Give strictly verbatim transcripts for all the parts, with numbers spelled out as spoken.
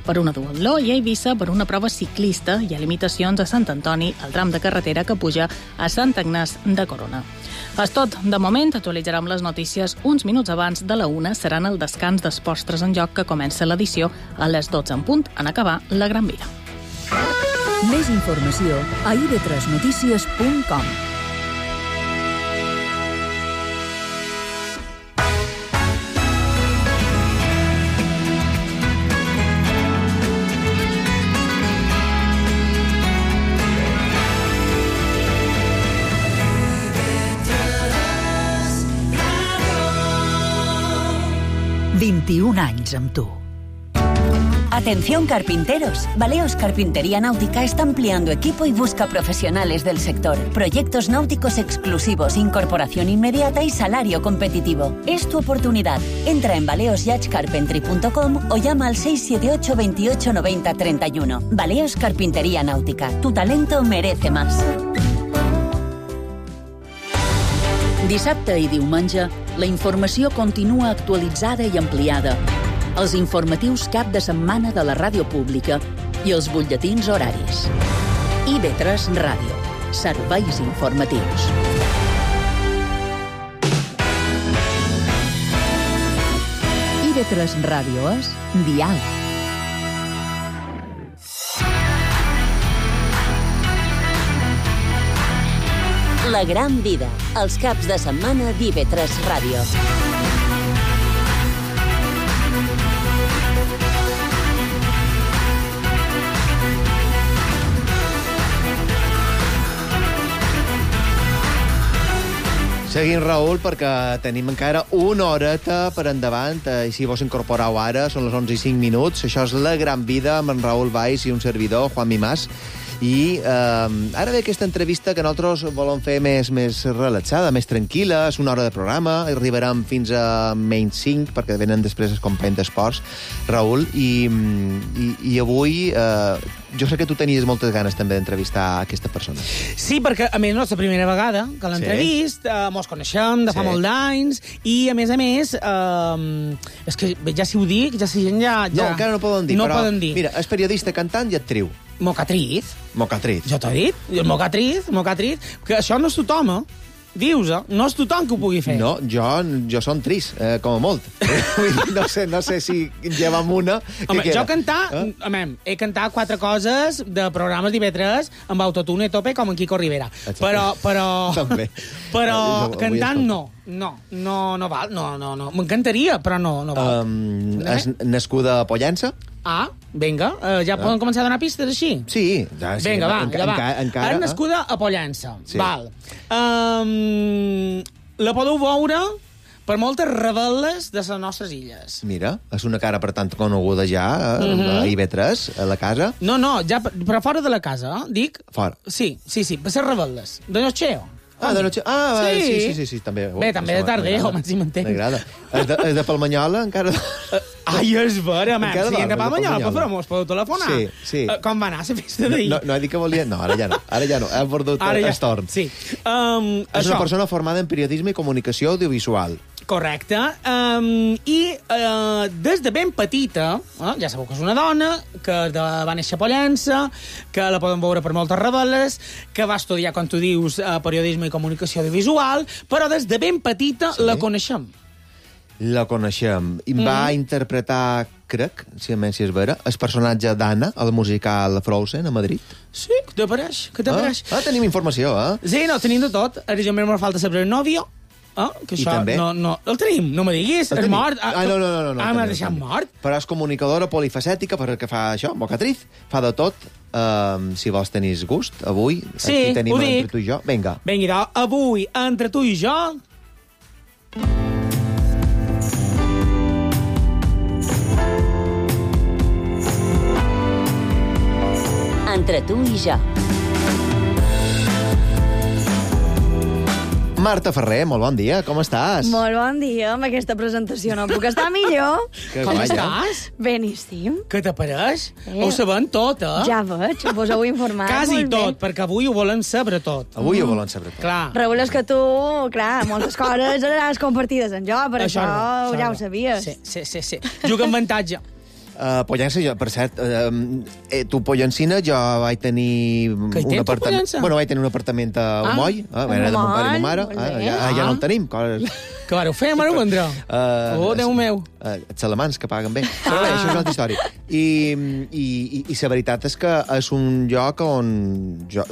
per una duatló i a Eivissa per una prova ciclista. Hi ha limitacions a Sant Antoni, al tram de carretera que puja a Sant Agnàs de Corona. És tot. De moment, actualitzarem les notícies uns minuts abans de la una. Seran el descans d'Esports tres en Joc, que comença l'edició a les dotze en punt, en acabar la Gran Via. Més informació a i ve tres notícies punt com. vint-i-un anys amb tu. Atención carpinteros, Baleos Carpintería Náutica está ampliando equipo y busca profesionales del sector. Proyectos náuticos exclusivos, incorporación inmediata y salario competitivo. Es tu oportunidad. Entra en baleos yacht carpentry punto com o llama al seis siete ocho, veintiocho, noventa, treinta y uno. Baleos Carpintería Náutica. Tu talento merece más. Dissabte i diumenge, la informació continua actualitzada i ampliada. Els informatius cap de setmana de la ràdio pública i els butlletins horaris. i ve tres Ràdio. Serveis informatius. i ve tres Ràdio és diàleg. La gran vida, els caps de setmana d'I ve tres Ràdio. Seguim, Raül, perquè tenim encara una horeta per endavant, i si vos incorporeu ara, són les onze i cinc minuts. Això és La Gran Vida, amb en Raül Valls i un servidor, Juan Mimàs. I eh, ara ve aquesta entrevista que nosaltres volem fer més, més relaxada, més tranquil·la. És una hora de programa, arribarem fins a menys cinc, perquè venen després els companys d'esports, Raül, i, i, i avui eh, jo sé que tu tenies moltes ganes també d'entrevistar aquesta persona. Sí, perquè a més no és la primera vegada que l'entrevist, sí. eh, mos coneixem de fa sí. molt d'anys, i a més a més, eh, és que ja si ho dic, ja si gent ja... ja... No, encara no poden dir, no però poden dir. Mira, és periodista, cantant i actriu. Mocatriz. Mocatriz. Jo t'ho he dit. Mocatriz, mocatriz. Que això no és tothom, eh? Dius, eh? No és tothom que ho pugui fer. No, jo, jo som trist, eh, com a molt. no, sé, no sé si llevam una... Home, jo cantar... Eh? Home, he cantat quatre coses de programes d'I ve tres amb autotune a tope, com en Quico Rivera. Exacte. Però... però També. Però no, cantant no. No, no, no val. No, no, no. M'encantaria, però no, no val. Um, és nascuda a Pollença? Ah, vinga. Uh, ja poden ah. començar a donar pistes així? Sí. Ja, sí vinga, va, enca, ja va. Enca, encara, és nascuda a Pollença. Sí. Val. Um, la podeu veure per moltes rebel·les de les nostres illes. Mira, és una cara, per tant, coneguda ja, eh, mm-hmm. a I ve tres, a la casa. No, no, ja, però fora de la casa, eh? Dic... Fora. Sí, sí, sí, per ser rebel·les. De Nocheo. Ah, de Nocheo. Ah, sí, sí, sí, sí, sí també. Bé, també de Tardeo, home, si m'entenc. M'agrada. És de, és de Palmanyola, encara... Ai, és vera, home. Si hem de Palmanyola, però mos podeu telefonar. Sí, sí. Uh, com va anar la festa d'ahir? No, no he dit que volia... No, ara ja no. Ara ja no. Hem perdut el ja. torn. Sí. Um, és això. una persona formada en periodisme i comunicació audiovisual. Correcte. Um, I uh, des de ben petita, uh, ja sabeu que és una dona, que de, va néixer a Pollença, que la poden veure per moltes rebel·les, que va estudiar, com tu dius, uh, periodisme i comunicació audiovisual, però des de ben petita sí. la coneixem. La coneixem. I mm. va interpretar, crec, si a més si és vera, el personatge d'Anna, al musical Frozen, a Madrid. Sí, que t'apareix, que t'apareix. Ah, ah, tenim informació, eh? Sí, no, tenim de tot. Ara jo m'hi falta saber el nòvio. Ah, que I això també? No, no, el tenim, no me diguis, és mort. Ah, no, no, no. no, no ah, m'has deixat mort. Però és comunicadora polifacètica, perquè fa això, mocatriz, fa de tot. Um, si vols tenir gust, avui, sí, aquí tenim ho dic. Entre tu i jo. Vinga. Vinga, avui, entre tu i jo... Entre tu i jo. Marta Ferrer, molt bon dia, com estàs? Molt bon dia, amb aquesta presentació no puc estar millor. Que com guanya. estàs? Beníssim. Què t'apareix? Eh. Ho sabem tot, eh? Ja veig, vos heu informat. Quasi molt tot, bé. perquè avui ho volen saber tot. Avui mm. ho volen saber tot. Clar. Raül, és que tu, clar, moltes coses les compartides amb jo, per això, això, això ja no. ho sabies. Sí, sí, sí, sí. Juga amb avantatge. Uh, Pollença, jo, per cert, uh, eh, tu Pollencina, jo vaig tenir Que hi un tens, tu, apartament... Pollença? Bueno, vaig tenir un apartament a Omoll, ah, ah, era de mon pare i ma mare, Molt ah, bé. ja, ah, ja Ah. no el tenim. Coses... Que vareu fer, mare vendrà? Uh, Oh, Déu meu. Uh, els alemans, que paguen bé. Però bé, això és una altra història. I, i, i, i la veritat és que és un lloc on jo,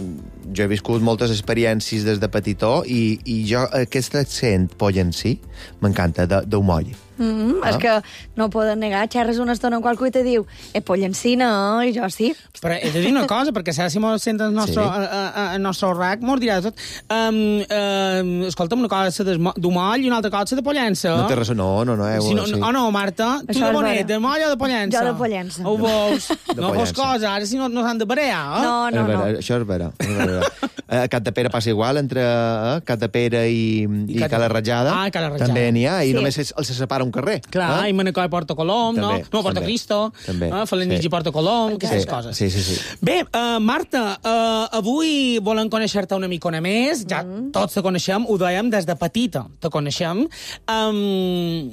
jo he viscut moltes experiències des de petitó i, i jo aquest accent pollencí m'encanta, d'Omoll. Mm -hmm, Ah. És que no ho poden negar. Xerres una estona amb qualcú i te diu eh, Pollencina, i jo sí. Però he de dir una cosa, perquè si ara si mos sent el nostre, Sí. sí. a, a, el nostre rac, mos dirà tot. Um, um, escolta'm, una cosa d'Omoll i una altra cosa de Pollença. No té res... No, no, no. Eh, Si no, sí. no, no, Marta, tu Això de és bonet, vera. de moll o de Pollença? Jo de Pollença. Ho veus? De No fos Pollença. cosa, ara si no, no s'han de parear, eh? No, no, és vera, no. Això és vera. És vera. A Capdepera passa igual, entre eh, Capdepera i, i, I Cat- Cala Ratjada. Ah, Cala Ratjada. També n'hi ha, i Sí. només es- els separa un carrer. Clar, eh? i Manacor i Porto Colom, no? També, No, Porto també. Cristo, També, eh? Felanitx sí. i Porto Colom, aquestes Sí, coses. sí, sí, sí. Bé, uh, Marta, uh, avui volem conèixer-te una micona més. Ja mm. tots te coneixem, ho dèiem des de petita, te coneixem. Um,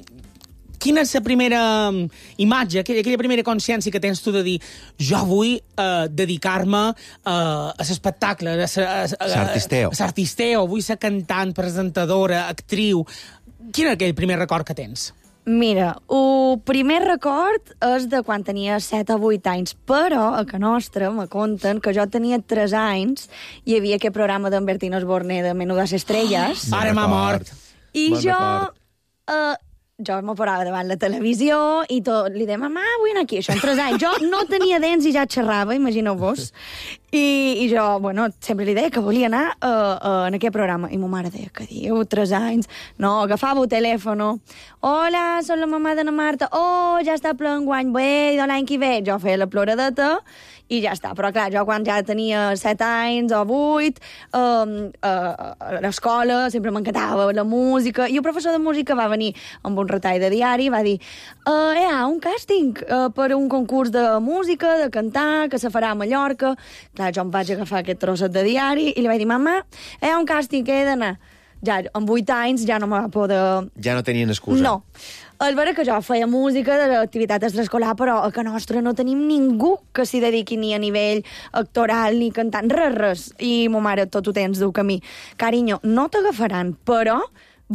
quina és la primera imatge, aquella, aquella primera consciència que tens tu de dir jo vull uh, dedicar-me uh, a l'espectacle, a L'artisteo. l'artisteo, vull ser cantant, presentadora, actriu. Quin és aquell primer record que tens? Mira, el primer record és de quan tenia set o vuit anys, però a que nostra me conten que jo tenia tres anys i hi havia aquest programa d'en Bertín Osborne de Menudas Estrelles. Ara m'ha mort. I Bon jo... record. Uh, jo me parava davant la televisió i tot, li deia, mamà, vull anar aquí, això en tres anys. Jo no tenia dents i ja xerrava, imagineu-vos. I, I jo, bueno, sempre li deia que volia anar uh, uh, en aquest programa. I ma mare deia, que diu, tres anys? No, agafava el telèfon. Hola, soc la mamà d'Anna Marta. Oh, ja està ple enguany. Bé, de l'any que ve. Jo feia la ploradeta i ja està. Però, clar, jo quan ja tenia set anys o vuit, um, uh, a l'escola sempre m'encantava la música, i el professor de música va venir amb un retall de diari i va dir uh, hi ha un càsting uh, per un concurs de música, de cantar, que se farà a Mallorca. Clar, jo em vaig agafar aquest trosset de diari i li vaig dir, mamà, hi ha un càsting, que he d'anar. Ja, amb vuit anys ja no me va poder... Ja no tenien excusa. No. És vera que jo feia música de l'activitat extraescolar, però a que nostra no tenim ningú que s'hi dediqui ni a nivell actoral ni cantant, res, res. I ma mare, tot ho tens du camí. Carinyo, no t'agafaran, però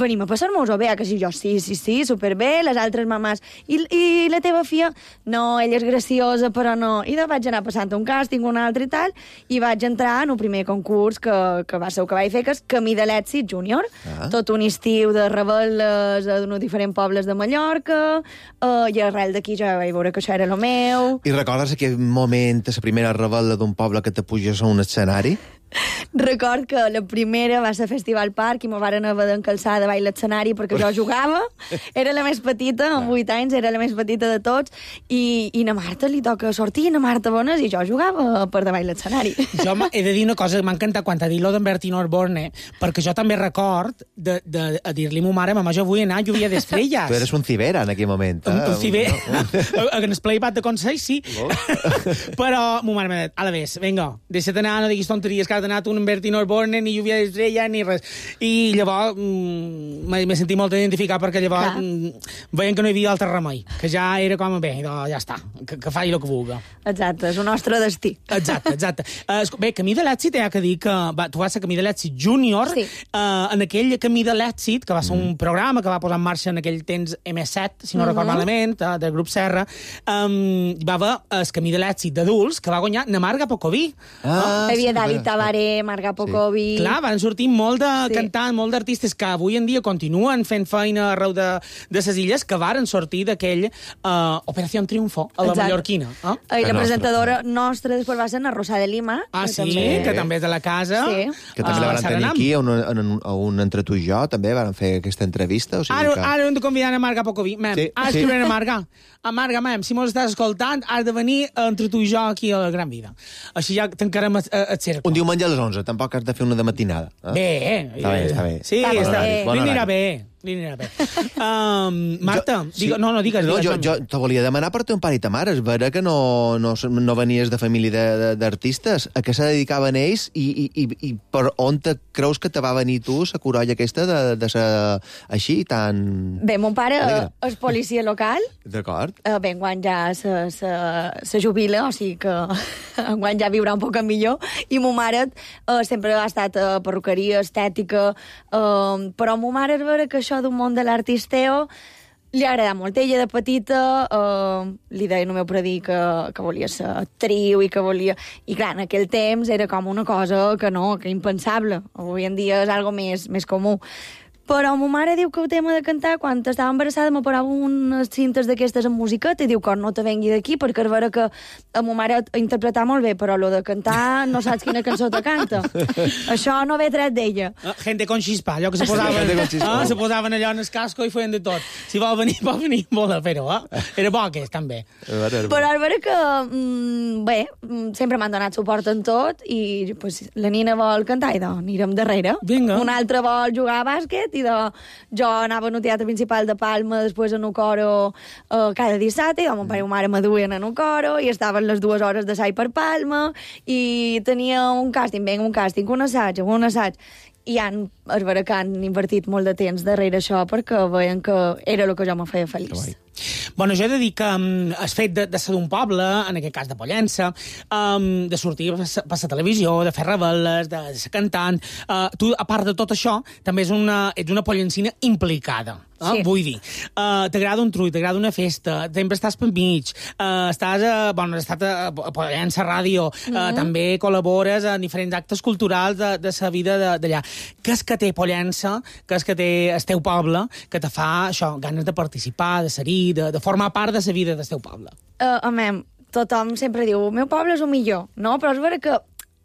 venim a passar-nos-ho bé, que si jo sí, sí, sí, superbé, les altres mamàs. I, I la teva filla? No, ella és graciosa, però no. I de vaig anar passant un càsting, un altre i tal, i vaig entrar en el primer concurs que, que va ser el que vaig fer, que és Camí de l'Èxit Júnior. Ah. Tot un estiu de rebel·les d'uns diferents pobles de Mallorca, uh, i arrel d'aquí ja vaig veure que això era el meu. I recordes aquell moment, la primera rebel·la d'un poble que te puges a un escenari? Record que la primera va ser a Festival Park i me varen haver d'encalçar davall l'escenari perquè jo jugava. Era la més petita, amb vuit anys, era la més petita de tots, i, i na Marta li toca sortir, na Marta Bones, i jo jugava per davall l'escenari. Jo m'ha- he de dir una cosa que m'ha encantat quan t'ha dit lo d'en Bertín Osborne, perquè jo també record de, de, de dir-li a ma mare, mamà, jo vull anar a Lluvia d'Estrelles. Tu eres un cibera en aquell moment. Un, eh? un ciber. En el playback de Consell, sí. Però ma mare m'ha dit, ara ves, vinga, deixa't anar, no diguis tonteries, que has d'anar tu en Bertín Osborne, ni Lluvia d'Estrella, ni res. I llavors mm, m'he m'he sentit molt identificat perquè llavors Clar. mm, veien que no hi havia altre remei, que ja era com, bé, doncs ja està, que, que faci el que vulgui. Exacte, és el nostre destí. Exacte, exacte. Uh, bé, Camí de l'Èxit, hi ha que dir que va, tu vas ser Camí de l'Èxit Júnior, Sí. uh, en aquell Camí de l'Èxit, que va ser un programa que va posar en marxa en aquell temps eme set, si no record malament, uh, del grup Serra, um, hi va haver el Camí de l'Èxit d'adults, que va guanyar na Marga Pocoví. Ah, Hi havia sí, David vera. Tabaré, Marga Pocovi... Clar, van sortir molt de Sí. cantants, molt d'artistes que avui en dia continuen fent feina arreu de, de ses illes, que varen sortir d'aquell uh, Operació Triunfo, a la Exacte. mallorquina. Eh? I la La nostra, presentadora nostra després va ser na Rosa de Lima. Ah, que sí, també- que també és de la casa. Sí. Que també Ah, la van tenir Saranam. aquí, a un, a, un, a un Entre tu i jo, també van fer aquesta entrevista. O sigui Ara, que... ara hem de convidar a Marga Pocoví. Mem, Sí, ara sí. escriurem a Marga. A Marga, mem, si mos estàs escoltant, has de venir entre tu i jo aquí a la Gran Vida. Així ja tancarem el, el cercle. Un diumenge a les onze, tampoc has de fer una de matinada. Eh? Bé, Està bé, està bé. Sí, Està està, bé. bé. Bon Li anirà horari. bé. li anirà bé. Um, Marta, jo, digue, sí. no, no, digues. No, digues, jo, jo te volia demanar per ton pare i ta mare. És vera que no, no, no venies de família d'artistes. A què se dedicaven ells i, i, i, i per on te creus que te va venir tu la corolla aquesta de, de ser així, tan... Bé, mon pare alegre? és policia local. D'acord. Uh, bé, enguany ja se, se, se jubila, o sigui que enguany ja viurà un poc millor. I mon mare uh, sempre ha estat a uh, perruqueria, estètica, uh, però mon mare és vera que això d'un món de l'artisteo li agrada molt. Ella de petita uh, li deia al meu predí que, que volia ser actriu i que volia... I clar, en aquell temps era com una cosa que no, que impensable. Avui en dia és algo més, més comú. Però ma mare diu que el tema de cantar, quan estava embarassada, me parava unes cintes d'aquestes en musiqueta i diu que no te vengui d'aquí, perquè és vera que a ma mare interpretar molt bé, però lo de cantar no saps quina cançó te canta. Això no ve tret d'ella. Uh, gente con chispa, allò que se posaven, uh, se posaven allò en el casco i feien de tot. Si vol venir, pot venir, vol fer-ho, eh? Era bo aquest, també. Però és vera que, mm, bé, sempre m'han donat suport en tot i pues, la Nina vol cantar i doncs anirem darrere. Vinga. Una altra vol jugar a bàsquet i de, jo anava al teatre principal de Palma, després en un coro eh, cada dissabte, i mon pare i ma mare me duien en un coro, i estaven les dues hores d'assaig per Palma, i tenia un càsting, vinga, un càsting, un assaig, un assaig, i han, és vera que han invertit molt de temps darrere això perquè veien que era el que jo me feia feliç. Bueno, jo he de dir que um, el fet de, de ser d'un poble, en aquest cas de Pollença, um, de sortir per la televisió, de fer revel·les, de, de ser cantant, uh, tu, a part de tot això, també és una, ets una pollencina implicada. Eh? Sí. Vull dir, uh, t'agrada un trull, t'agrada una festa, sempre estàs per mig, uh, estàs a, bueno, has estat a, a Pollença Ràdio, uh, mm-hmm. també col·labores en diferents actes culturals de, de la vida d'allà. Què és que té Pollença, què és que té el teu poble, que te fa això, ganes de participar, de ser-hi, de, de formar part de la vida del teu poble? Uh, amem, tothom sempre diu, el meu poble és el millor, no? Però és vera que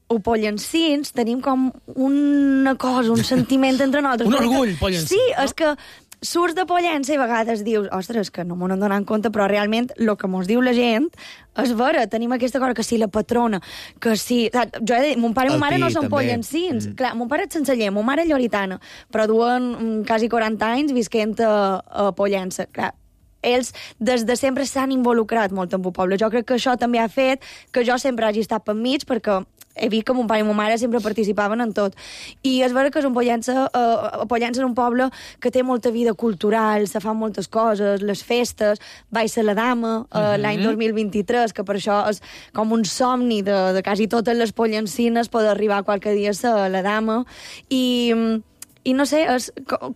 o pollencins tenim com una cosa, un sentiment entre nosaltres. Un orgull, pollencins. Sí, no? és que surts de Pollença i a vegades dius, ostres, que no m'ho n'han donat compte, però realment el que mos diu la gent és vera, tenim aquesta cosa que si la patrona, que si... Jo he de dir, mon pare i ma mare no són pollencins. Mm. Clar, mon pare és senceller, mon mare és lloritana, però duen mm, quasi quaranta anys visquent a, a Pollença. Clar, ells des de sempre s'han involucrat molt en el poble. Jo crec que això també ha fet que jo sempre hagi estat per mig, perquè he vist que mon pare i ma mare sempre participaven en tot. I és vera que és un Pollença, uh, Pollença és un poble que té molta vida cultural, se fan moltes coses, les festes, vaig ser la dama uh, uh-huh. l'any dos mil vint-i-tres, que per això és com un somni de, de quasi totes les pollencines poder arribar qualque dia a ser la dama. I... I no sé, és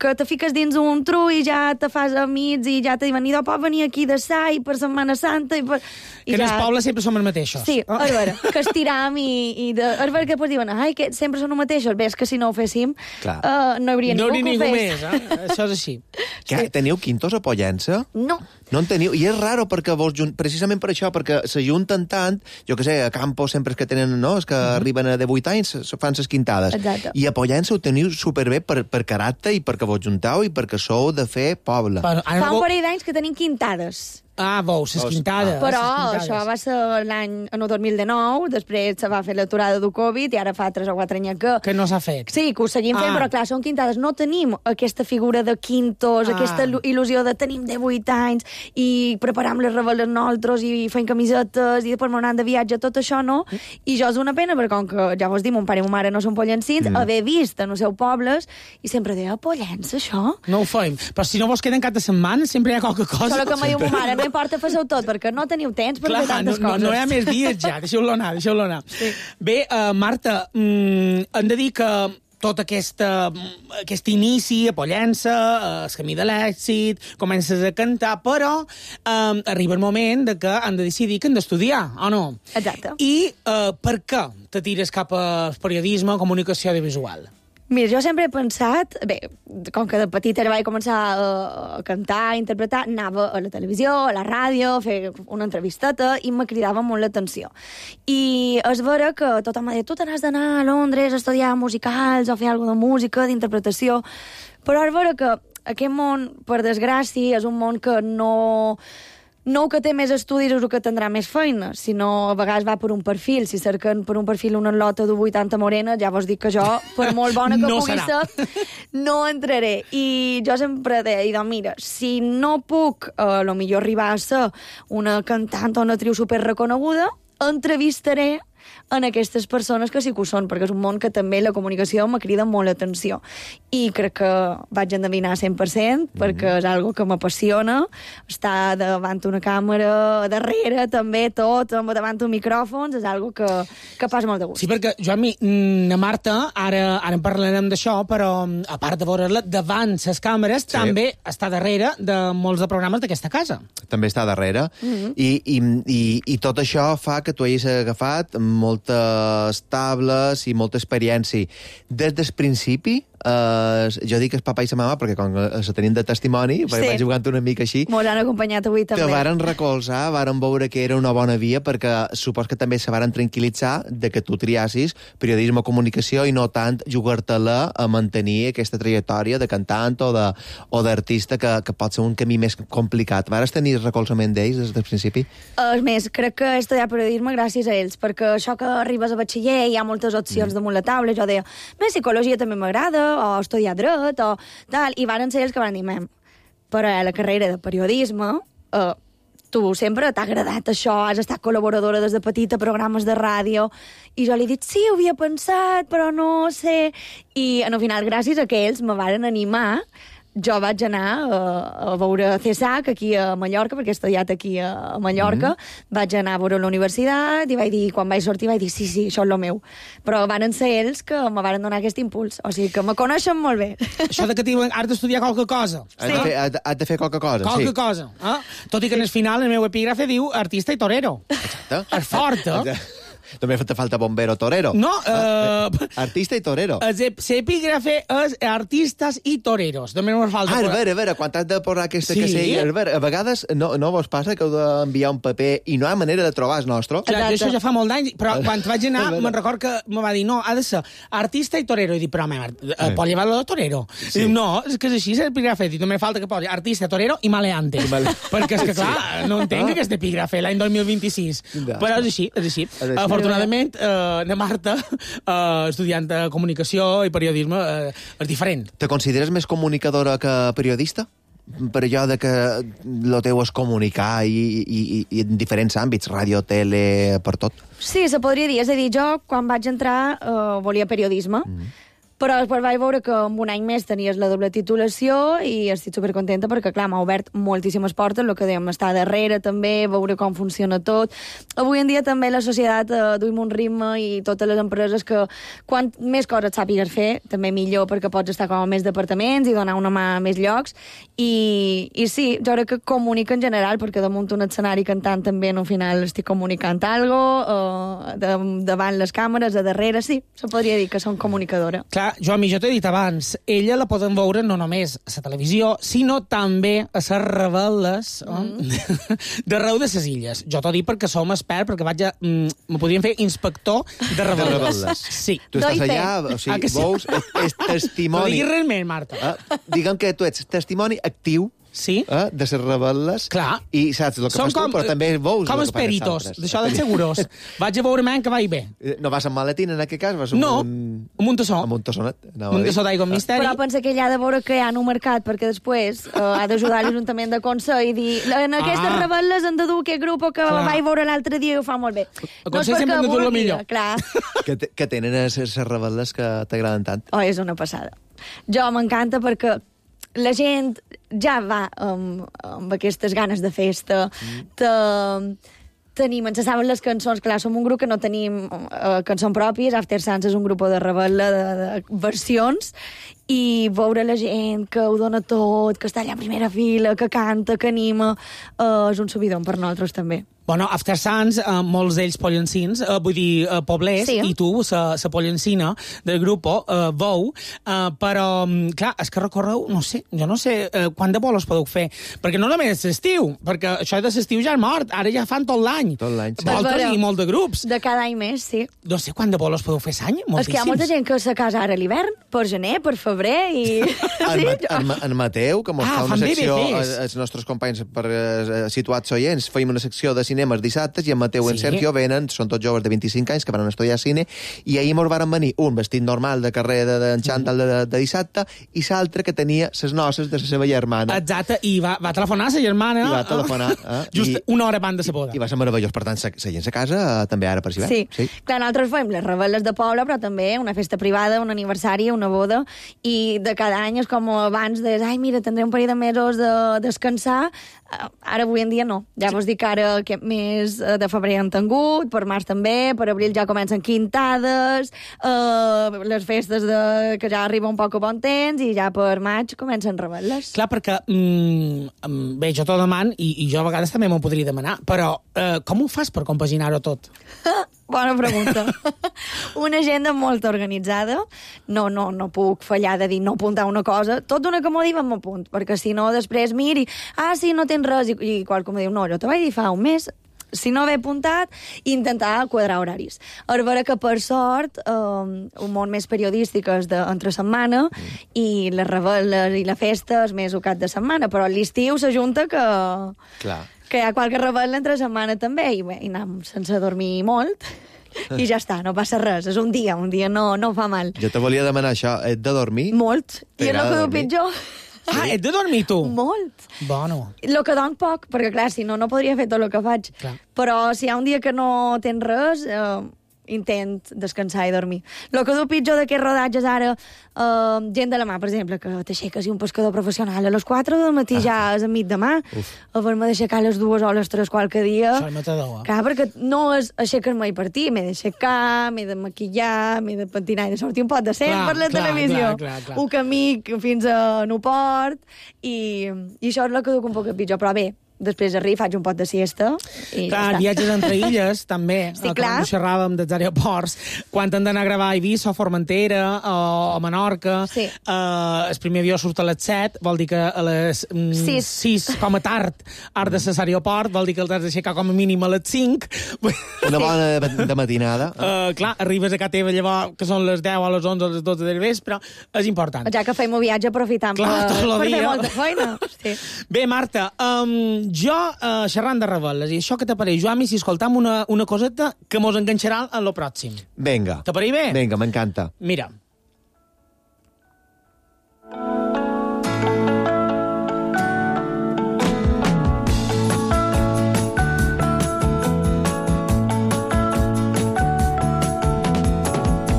que te fiques dins un trull i ja te fas amics i ja te diuen, idò, pot venir aquí d'assaig per Setmana Santa i per... I que ja... en els pobles sempre som els mateixos. Sí, oh. és vera, que estiram i, i de... és vera que després diuen, ai, que sempre són els mateixos. Bé, és que si no ho féssim, uh, no hi hauria no ningú que ho ho fes. fes. Més, eh? Això és així. Que, sí. Teniu quintos a Pollença? No. No en teniu? I és raro, perquè vos, precisament per això, perquè s'ajunten tant, jo que sé, a Campos sempre és que tenen, no?, és que uh-huh. arriben a divuit anys, fan ses quintades. Exacte. I a Pollença ho teniu superbé per, per caràcter i perquè vos juntau i perquè sou de fer poble. Però, Fa un parell d'anys que tenim quintades. Ah, veus, les quintades. Però quintades. això va ser l'any en el dos mil dinou, després se va fer l'aturada del Covid i ara fa tres o quatre anys que... Que no s'ha fet. Sí, que ho seguim fent, ah. però clar, són quintades. No tenim aquesta figura de quintos, ah. aquesta il·lusió de tenim divuit anys i preparam les reveles nosaltres i fem camisetes i després m'anant de viatge, tot això no. I jo és una pena, perquè com que ja vos dic, mon pare i ma mare no són pollencins, mm. haver vist en els seus pobles i sempre deia, Pollença, això? No ho fem. Però si no vos queden cap de setmana, sempre hi ha qualque cosa. Solo que me diu ma mare, no importa, feu tot, perquè no teniu temps per Clar, fer tantes no, coses. No, no hi ha més dies ja, deixeu-lo anar, deixeu-lo anar. Sí. Bé, uh, Marta, mm, hem de dir que tot aquesta, aquest inici a Pollença, el camí de l'èxit, comences a cantar, però um, arriba el moment de que han de decidir que han d'estudiar, o no? Exacte. I uh, per què te tires cap al periodisme o comunicació audiovisual? Mira, jo sempre he pensat... Bé, com que de petita vaig començar a, a cantar, a interpretar, anava a la televisió, a la ràdio, a fer una entrevisteta i me cridava molt l'atenció. I és vera que tothom m'ha dit, tu t'has d'anar a Londres a estudiar musicals o fer alguna de música, d'interpretació, però és vera que aquest món, per desgràcia, és un món que no... no el que té més estudis és el que tindrà més feina, sinó a vegades va per un perfil. Si cerquen per un perfil una lota de vuitanta morena, ja vos dic que jo, per molt bona que No pugui serà. ser, no entraré. I jo sempre deia, doncs mira, si no puc, a lo millor arribar a ser una cantant o una actriu superreconeguda, entrevistaré en aquestes persones que sí que ho són, perquè és un món que també la comunicació me crida molt l'atenció. I crec que vaig endevinar cent per cent, perquè és algo que m'apassiona, estar davant una càmera, darrere també, tot, davant un micròfon, és algo que, que passa molt de gust. Sí, perquè, Joan, la Marta, ara, ara en parlarem d'això, però a part de veure-la davant les càmeres, Sí. també està darrere de molts de programes d'aquesta casa. També està darrere. Mm-hmm. I, i, i, I tot això fa que tu hagis agafat moltes tables i molta experiència. Des del principi, eh, jo dic el papa i la mama, perquè quan se tenim de testimoni, perquè Sí. vaig jugant una mica així, Mos han acompanyat avui també. te varen recolzar, varen veure que era una bona via, perquè supos que també se varen tranquil·litzar de que tu triassis periodisme o comunicació i no tant jugar-te-la a mantenir aquesta trajectòria de cantant o de- o d'artista que, que pot ser un camí més complicat. Vares tenir recolzament d'ells des del principi? És més, crec que he estudiat periodisme gràcies a ells, perquè això que arribes a batxiller hi ha moltes opcions mm. damunt la taula. Jo deia, més psicologia també m'agrada, o estudiar dret, o tal, i varen ser ells que van dir, mem, però a la carrera de periodisme, eh, tu sempre t'ha agradat això, has estat col·laboradora des de petita a programes de ràdio, i jo li he dit, sí, ho havia pensat, però no sé... I, al final, gràcies a que ells me varen animar, jo vaig anar a, a veure C S A C aquí a Mallorca, perquè he estudiat aquí a, a Mallorca, mm. vaig anar a veure la universitat i vaig dir, quan vaig sortir vaig dir, sí, sí, això és el meu. Però varen ser ells que me varen donar aquest impuls. O sigui, que me coneixen molt bé. Això de que diuen, has d'estudiar qualque cosa. Has, de fer, has, de, has de fer qualque cosa, Qualque sí. cosa. Eh? Tot i que en el final el meu epígrafe diu artista i torero. Exacte. És fort, eh? Exacte. També te falta bombero torero. No, Ah, eh... Artista i torero. L'epígrafe és artistes i toreros. Només ens falta... Ah, a veure, a veure, quan has de posar aquesta Sí. casella... A veure, a vegades no, no vos passa que heu d'enviar un paper i no hi ha manera de trobar el nostre? Clar, jo Exacte. això ja fa molt d'anys, però quan vaig anar, A veure. me'n record que me va dir, no, ha de ser artista i torero. I dic, però, home, eh, pot llevar-lo de torero? Sí. I dic, no, és que és així, és l'epígrafe. I només falta que posi artista, torero i maleante. Male- Perquè és que, clar, no entenc Ah. aquest epígrafe l'any dos mil vint-i-sis. Ja. Però és així, és així. És així. Afortunadament, eh, la Marta, eh, estudiant de comunicació i periodisme, eh, és diferent. Te consideres més comunicadora que periodista? Per allò de que lo teu és comunicar i, i, i, i en diferents àmbits, ràdio, tele, per tot. Sí, se podria dir. És a dir, jo, quan vaig entrar, eh, volia periodisme, mm. però després vaig veure que en un any més tenies la doble titulació i estic supercontenta perquè, clar, m'ha obert moltíssimes portes, el que dèiem, estar darrere també, veure com funciona tot. Avui en dia també la societat eh, duim un ritme i totes les empreses que quan més coses sàpigues fer, també millor perquè pots estar com a més departaments i donar una mà a més llocs. I, i sí, jo crec que comunica en general, perquè damunt un escenari cantant també al final estic comunicant algo, eh, de, davant les càmeres, a darrere, sí, se podria dir que som comunicadora. Clar, Joan, jo t'he dit abans, ella la poden veure no només a la televisió, sinó també a les rebel·les mm. d'arreu de les illes. Jo t'ho dic perquè som experts, perquè vaig a... Mm, me podríem fer inspector de rebel·les. De rebel·les. Sí. Tu estàs Doy fe. allà, o sigui, Ah, que sí? veus, és No testimoni... diguis res més, Marta. Eh? Diguem que tu ets testimoni actiu Sí? eh, de ser rebel·les. Clar. I saps el que Som fas tu, però també veus com el els que fan els peritos, altres. d'això dels seguros. Vaig a veure man que vaig bé. Eh, No vas amb maletín, en aquest cas? Vas amb No, un... amb un tassó. Amb un tassonet. anava a Un dir. tassó d'aigua amb misteri. Però pensa que ell ha de veure que hi ha un mercat, perquè després uh, ha d'ajudar l'Ajuntament de Consell i dir en aquestes Ah. rebel·les han de dur aquest grup que Clar. vaig veure l'altre dia i ho fa molt bé. El Consell sempre han de dur lo millor. Clar. Que, te- que tenen les rebel·les que t'agraden tant. Oh, és una passada. Jo m'encanta perquè la gent ja va amb, amb aquestes ganes de festa. Mm. Te, tenim, ens saben les cançons, clar, som un grup que no tenim uh, cançons pròpies, After Sans és un grup de rebel·la de, de versions, i veure la gent que ho dona tot, que està allà a primera fila, que canta, que anima, uh, és un subidon per nosaltres també. Bueno, After Sants, eh, molts d'ells pollencins, eh, vull dir, eh, poblers, Sí. i tu, la pollencina del grup, eh, vou, eh, però, mm, clar, és que recorreu, no sé, jo no sé eh, quant de bolos podeu fer, perquè no només és l'estiu, perquè això de l'estiu ja és mort, ara ja fan tot l'any. Tot l'any, sí. Voltes Però- i molt de grups. De cada any més, sí. No sé quant de bolos podeu fer l'any, moltíssims. És que hi ha molta gent que se casa ara a l'hivern, per gener, per febrer, i... En, sí, Ma jo- en, Ma- en Mateu, que mos Ah, fa una fan secció, B B Cs. eh, els nostres companys per eh, situats oients, feim una secció de cinemes dissabtes i en Mateu i en Sí. Sergio venen, són tots joves de vint-i-cinc anys que van estudiar cine, i ahir mos varen venir un vestit normal de carrer de, de xantal de, de, de dissabte i l'altre que tenia ses noces de la seva germana. Exacte, i va, va telefonar a sa germana. I va telefonar, eh? Just I- una hora abans de sa boda. I va ser meravellós. Per tant, la gent a casa eh, també ara per hivern. Sí. sí. Clar, nosaltres fem les rebel·les de poble, però també una festa privada, un aniversari, una boda, i de cada any és com abans de, ai, mira, tindré un parell de mesos de descansar, ara avui en dia no. Ja vos dic que ara aquest mes de febrer han tingut, per març també, per abril ja comencen quintades, eh, les festes de, que ja arriba un poc a bon temps, i ja per maig comencen rebel·les. Clar, perquè, mm, bé, jo t'ho deman, i, i jo a vegades també m'ho podria demanar, però eh, com ho fas per compaginar-ho tot? Bona pregunta. Una agenda molt organitzada. No, no, no puc fallar de dir no apuntar una cosa. Tot d'una que m'ho diuen m'apunt, perquè si no després miri, ah, sí, no tens res, i, i qualcú em diu, no, jo te vaig dir fa un mes, si no haver apuntat, intentar quadrar horaris. A veure que, per sort, eh, un món més periodístic és d'entre setmana, mm. i les rebel·les i la festa és més al cap de setmana, però a l'estiu s'ajunta que... Clar. que hi ha qualque rebel entre setmana també, i, bé, i anem sense dormir molt, i ja està, no passa res. És un dia, un dia no, no fa mal. Jo te volia demanar això. Et de dormir? Molt. I és el T'agrada que diu dormir? pitjor. Ah, ets de dormir, tu? Molt. Bueno. El que dorm poc, perquè clar, si no, no podria fer tot el que faig. Clar. Però si hi ha un dia que no tens res, eh, intent descansar i dormir. El que diu pitjor d'aquests rodatges ara, eh, gent de la mà, per exemple, que t'aixeques i un pescador professional a les quatre del matí ah. ja és a mig de mà, haver-me d'aixecar a les dues o a les tres qualque dia. Això és matador, eh? Clar, perquè no és aixecar-me i partir, m'he d'aixecar, m'he de maquillar, m'he de pentinar i de sortir un pot de cent Clar, per la clar, televisió. clar, clar, clar. Un camí fins a Nuport, i, i això és el que duc un poc pitjor, però bé, després arribo, faig un pot de siesta i Clar, ja està. viatges entre illes, també. Sí, eh, clar. Quan ho xerràvem dels aeroports, quan han d'anar a gravar a Eivissa o Formentera o, o Menorca, Sí. eh, el primer avió surt a les set, vol dir que a les mm, Sis. sis, com a tard, has de ser a l'aeroport, vol dir que el has d'aixecar com a mínim a les cinc. Una bona de, de matinada. Uh, clar, arribes a casa teva llavors, que són les deu, a les onze, a les dotze del vespre, és important. Ja que fem un viatge aprofitant Clar, per, tot el per fer dia. molta feina. Sí. Bé, Marta, um, jo, uh, xerrant de rebel·les, i això que t'apareix, Joan, si escoltam una, una coseta que mos enganxarà en lo pròxim. Vinga. T'apareix bé? Vinga, m'encanta. Mira.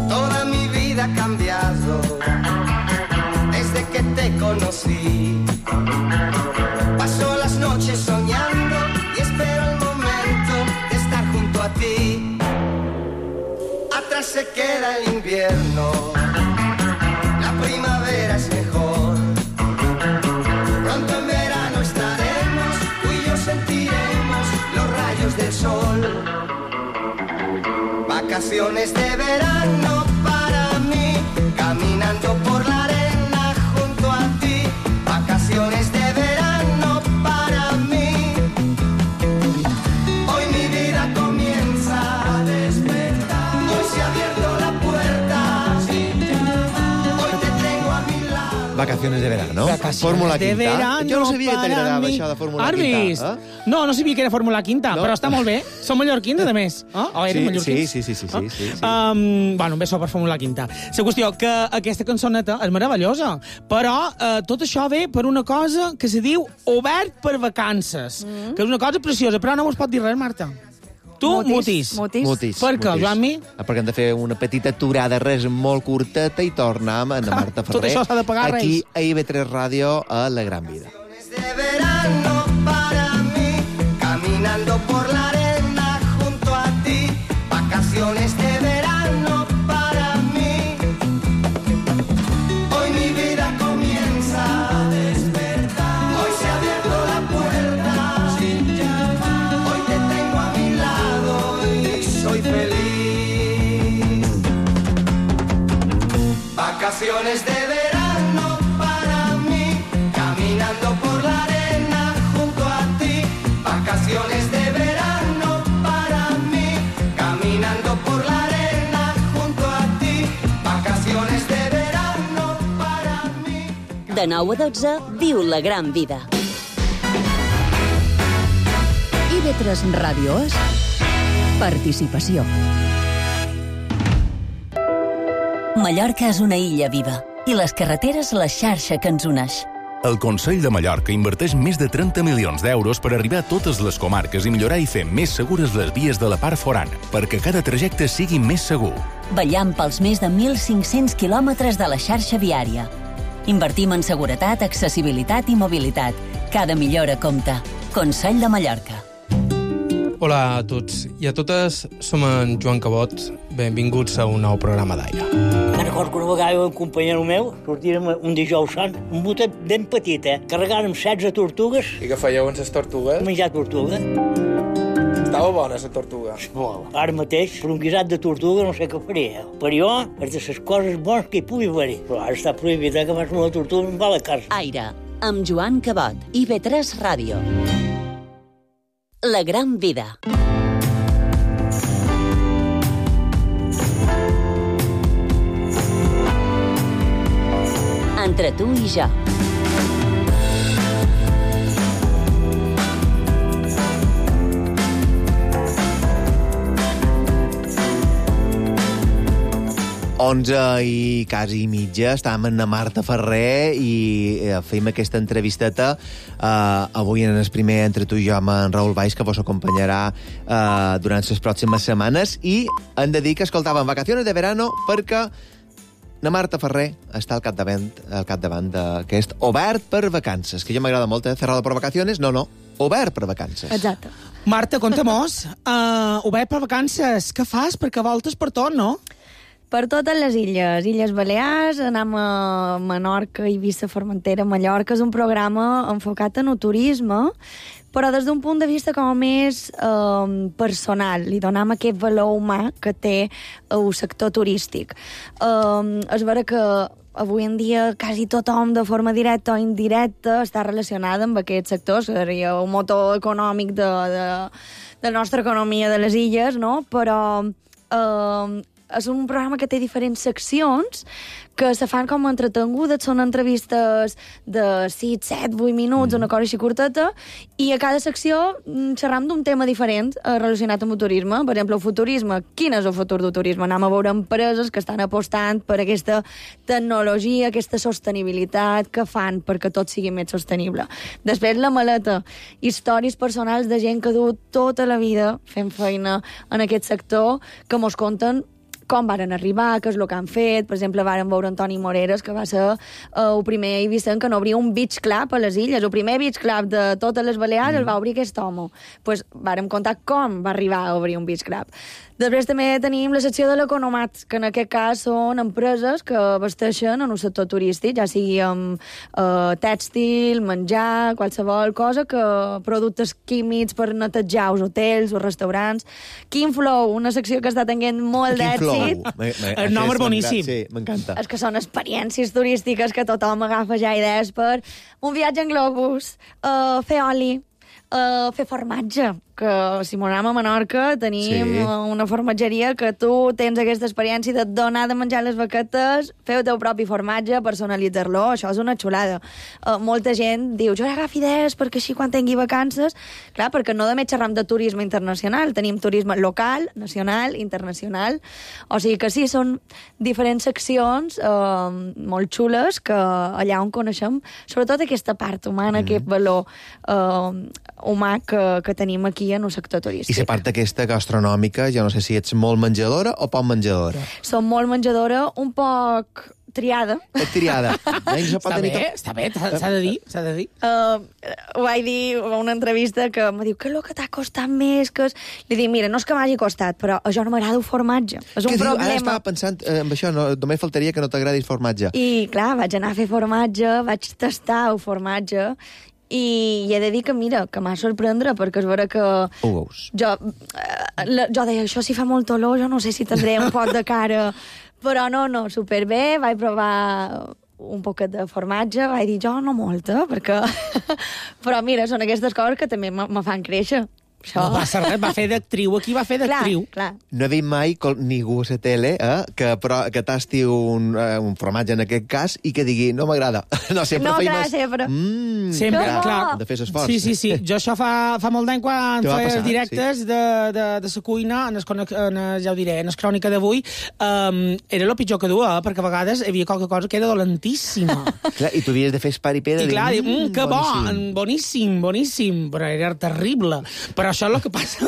Toda mi vida ha cambiado desde que te conocí. Paso las noches soñando y espero el momento de estar junto a ti. Atrás se queda el invierno, la primavera es mejor. Pronto en verano estaremos, tú y yo sentiremos los rayos del sol. Vacaciones de verano para mí, caminando por la arena junto a ti. Vacaciones de verano para mí. Hoy mi vida comienza a despertar. Hoy se ha abierto la puerta. Hoy te tengo a mi lado. Vacaciones de verano. Vacaciones Fórmula de Quinta. verano Jo no sabia que para t'agradava mi. això de Fórmula Has Quinta. vist? Eh? No, no sabia que era Fórmula Quinta, No. però està molt bé. Som mallorquins, a més. Eh? O eren Sí, mallorquins? sí, sí, sí, sí, Eh? sí, sí. Um, bueno, un beso per Fórmula Quinta. La qüestió que aquesta cançoneta és meravellosa, però eh, tot això ve per una cosa que se diu Obert per vacances, mm. que és una cosa preciosa, però no mos pot dir res, Marta. Tu, mutis. Mutis. Mutis. Per què, mutis. Joan-mi? Ah, perquè hem de fer una petita aturada, res molt curteta, i tornem a Marta Ferrer. Tot això s'ha de pagar, aquí Reis. a I V tres Ràdio, a La Gran Vida. De verano para mí, caminando por la arena junto a ti. Vacaciones de verano para mí. Hoy mi vida comienza a despertar. Hoy se ha abierto la puerta. Hoy te tengo a vacaciones de verano para mí, caminando por la arena junto a ti. Vacaciones de verano para mí, caminando por la arena junto a ti. Vacaciones de verano para mí. De nou a dotze, viu la gran vida. I V tres Ràdio és participació. Mallorca és una illa viva i les carreteres la xarxa que ens uneix. El Consell de Mallorca inverteix més de trenta milions d'euros per arribar a totes les comarques i millorar i fer més segures les vies de la part forana, perquè cada trajecte sigui més segur. Vetllant pels més de mil cinc-cents quilòmetres de la xarxa viària. Invertim en seguretat, accessibilitat i mobilitat. Cada millora compta. Consell de Mallorca. Hola a tots i a totes, som en Joan Cabot. Benvinguts a un nou programa d'Aire. Me'n recordo que una vegada un companyero meu sortirem un dijous sant, un botet ben petit, eh? Carregàrem setze tortugues. I què fèieu amb les tortugues? Menjar tortuga. Estava bona, la tortuga. Molt. Ara mateix, per un guisat de tortuga no sé què faria. Per jo, és de les coses bones que hi pugui haver. Però ara està prohibit, eh, que fas una tortuga i em va a la casa. Aire, amb Joan Cabot, I V tres Ràdio. La gran vida. Entre tu i jo. onze i quasi mitja, estàvem amb la Marta Ferrer i eh, fèiem aquesta entrevisteta eh, avui en el primer Entre tu i jo amb en Raül Valls, que vos acompanyarà eh, durant les pròximes setmanes, i hem de dir que escoltàvem Vacaciones de Verano perquè la Marta Ferrer està al capdavant, al capdavant d'aquest Obert per Vacances, que jo m'agrada molt, eh? Cerrado per Vacaciones, no, no, Obert per Vacances. Exacte. Marta, conta-mos, uh, Obert per Vacances, què fas? Perquè voltes per tot, no? Per totes les illes, Illes Balears, anem a Menorca, Eivissa, Formentera, Mallorca. És un programa enfocat en el turisme, però des d'un punt de vista com més eh, personal. Li donem aquest valor humà que té el sector turístic. Eh, és vera que avui en dia quasi tothom, de forma directa o indirecta, està relacionada amb aquest sector. Seria un motor econòmic de, de, de la nostra economia de les illes, no? Però eh, és un programa que té diferents seccions que se fan com entretengudes, són entrevistes de sis, set, vuit minuts, mm. una cosa així curteta, i a cada secció xerram d'un tema diferent eh, relacionat amb el turisme. Per exemple, el futurisme. Quin és el futur del turisme? Anem a veure empreses que estan apostant per aquesta tecnologia, aquesta sostenibilitat, que fan perquè tot sigui més sostenible. Després, la maleta. Històries personals de gent que du tota la vida fent feina en aquest sector, que mos conten com varen arribar, què és el que han fet. Per exemple, varen veure Antoni Moreres, que va ser uh, el primer eivissent que no obria un beach club a les illes. El primer beach club de totes les Balears mm. el va obrir aquest home. Pues, vàrem contar com va arribar a obrir un beach club. Després també tenim la secció de l'economat, que en aquest cas són empreses que vesteixen en un sector turístic, ja sigui amb eh, tèxtil, menjar, qualsevol cosa, que productes químics per netejar els hotels, els restaurants. Quin Flow, una secció que està tenint molt d'èxit. El nom és boníssim. Sí, m'encanta. És que són experiències turístiques que tothom agafa ja idees per un viatge en globus, uh, fer oli, uh, fer formatge, que si m'ho anem a Menorca tenim sí. una formatgeria que tu tens aquesta experiència de donar de menjar les vaquetes, fer el teu propi formatge, personalitzar-lo, això és una xulada. Uh, molta gent diu, jo agafo idees perquè així quan tingui vacances, clar, perquè no només xerram de turisme internacional, tenim turisme local, nacional, internacional, o sigui que sí, són diferents seccions uh, molt xules que allà on coneixem, sobretot aquesta part humana, mm. aquest valor uh, humà que, que tenim aquí en un sector turístic. I la part aquesta gastronòmica, jo no sé si ets molt menjadora o poc menjadora. Som molt menjadora, un poc triada. Et triada. Està bé, tot... està bé, s'ha de dir, s'ha de dir. Uh, ho vaig dir a una entrevista que em diu, què és el que t'ha costat més? Que és... Li dic, mira, no és que m'hagi costat, però a jo no m'agrada el formatge. És un diu? problema. Ara estava pensant eh, en això, no, només faltaria que no t'agradi el formatge. I, clar, vaig anar a fer formatge, vaig tastar el formatge, i, i he de dir que, mira, que m'ha sorprendre, perquè és vera que... Ho veus. Jo, eh, la, jo deia, això si fa molt olor, jo no sé si tindré un poc de cara, però no, no, superbé, vaig provar un poquet de formatge, vaig dir jo no molta, perquè... però mira, són aquestes coses que també me, me fan créixer. Això. No passa res, va fer d'actriu, aquí va fer d'actriu. Clar, clar. No he vist mai col- ningú a la tele eh, que, però, que tasti un, uh, un formatge en aquest cas i que digui no m'agrada. No, sempre No, feim clar, es- sempre. Mm, Sempre, clar, clar. De fer l'esforç. Sí, sí, sí. Jo això fa, fa molt d'any quan Te va feia passar, els directes sí. de, de, de la cuina, en es, en es, ja ho diré, en el crònica d'avui, um, era el pitjor que duia, perquè a vegades hi havia qualque cosa que era dolentíssima. Clar, i tu havies de fer esparipé de I clar, dir, mm, que bo, boníssim. boníssim, boníssim, però era terrible. Però això és el que passa.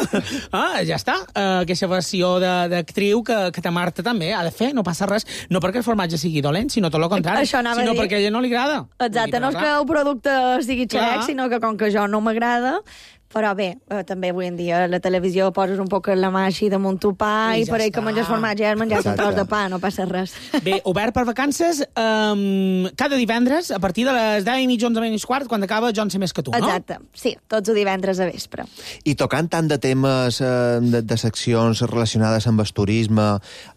Ah, ja està. Uh, aquesta versió de- d'actriu que, que ta Marta també ha de fer, no passa res. No perquè el formatge sigui dolent, sinó tot el contrari. Això anava a sinó dir. perquè a ella no li agrada. Exacte, no és que el producte sigui Clar. xerec, sinó que com que jo no m'agrada, però bé, eh, també avui en dia a la televisió poses un poc la mà així damunt tu pa I i, ja per ell està. que menges formatge has menjat un Exacte. tros de pa, no passa res. Bé, obert per vacances um, cada divendres, a partir de les deu i mitja, onze menys quart, quan acaba Jo en sé més que tu, no? Exacte, sí, tots els divendres a vespre. I tocant tant de temes, eh, de, de seccions relacionades amb el turisme,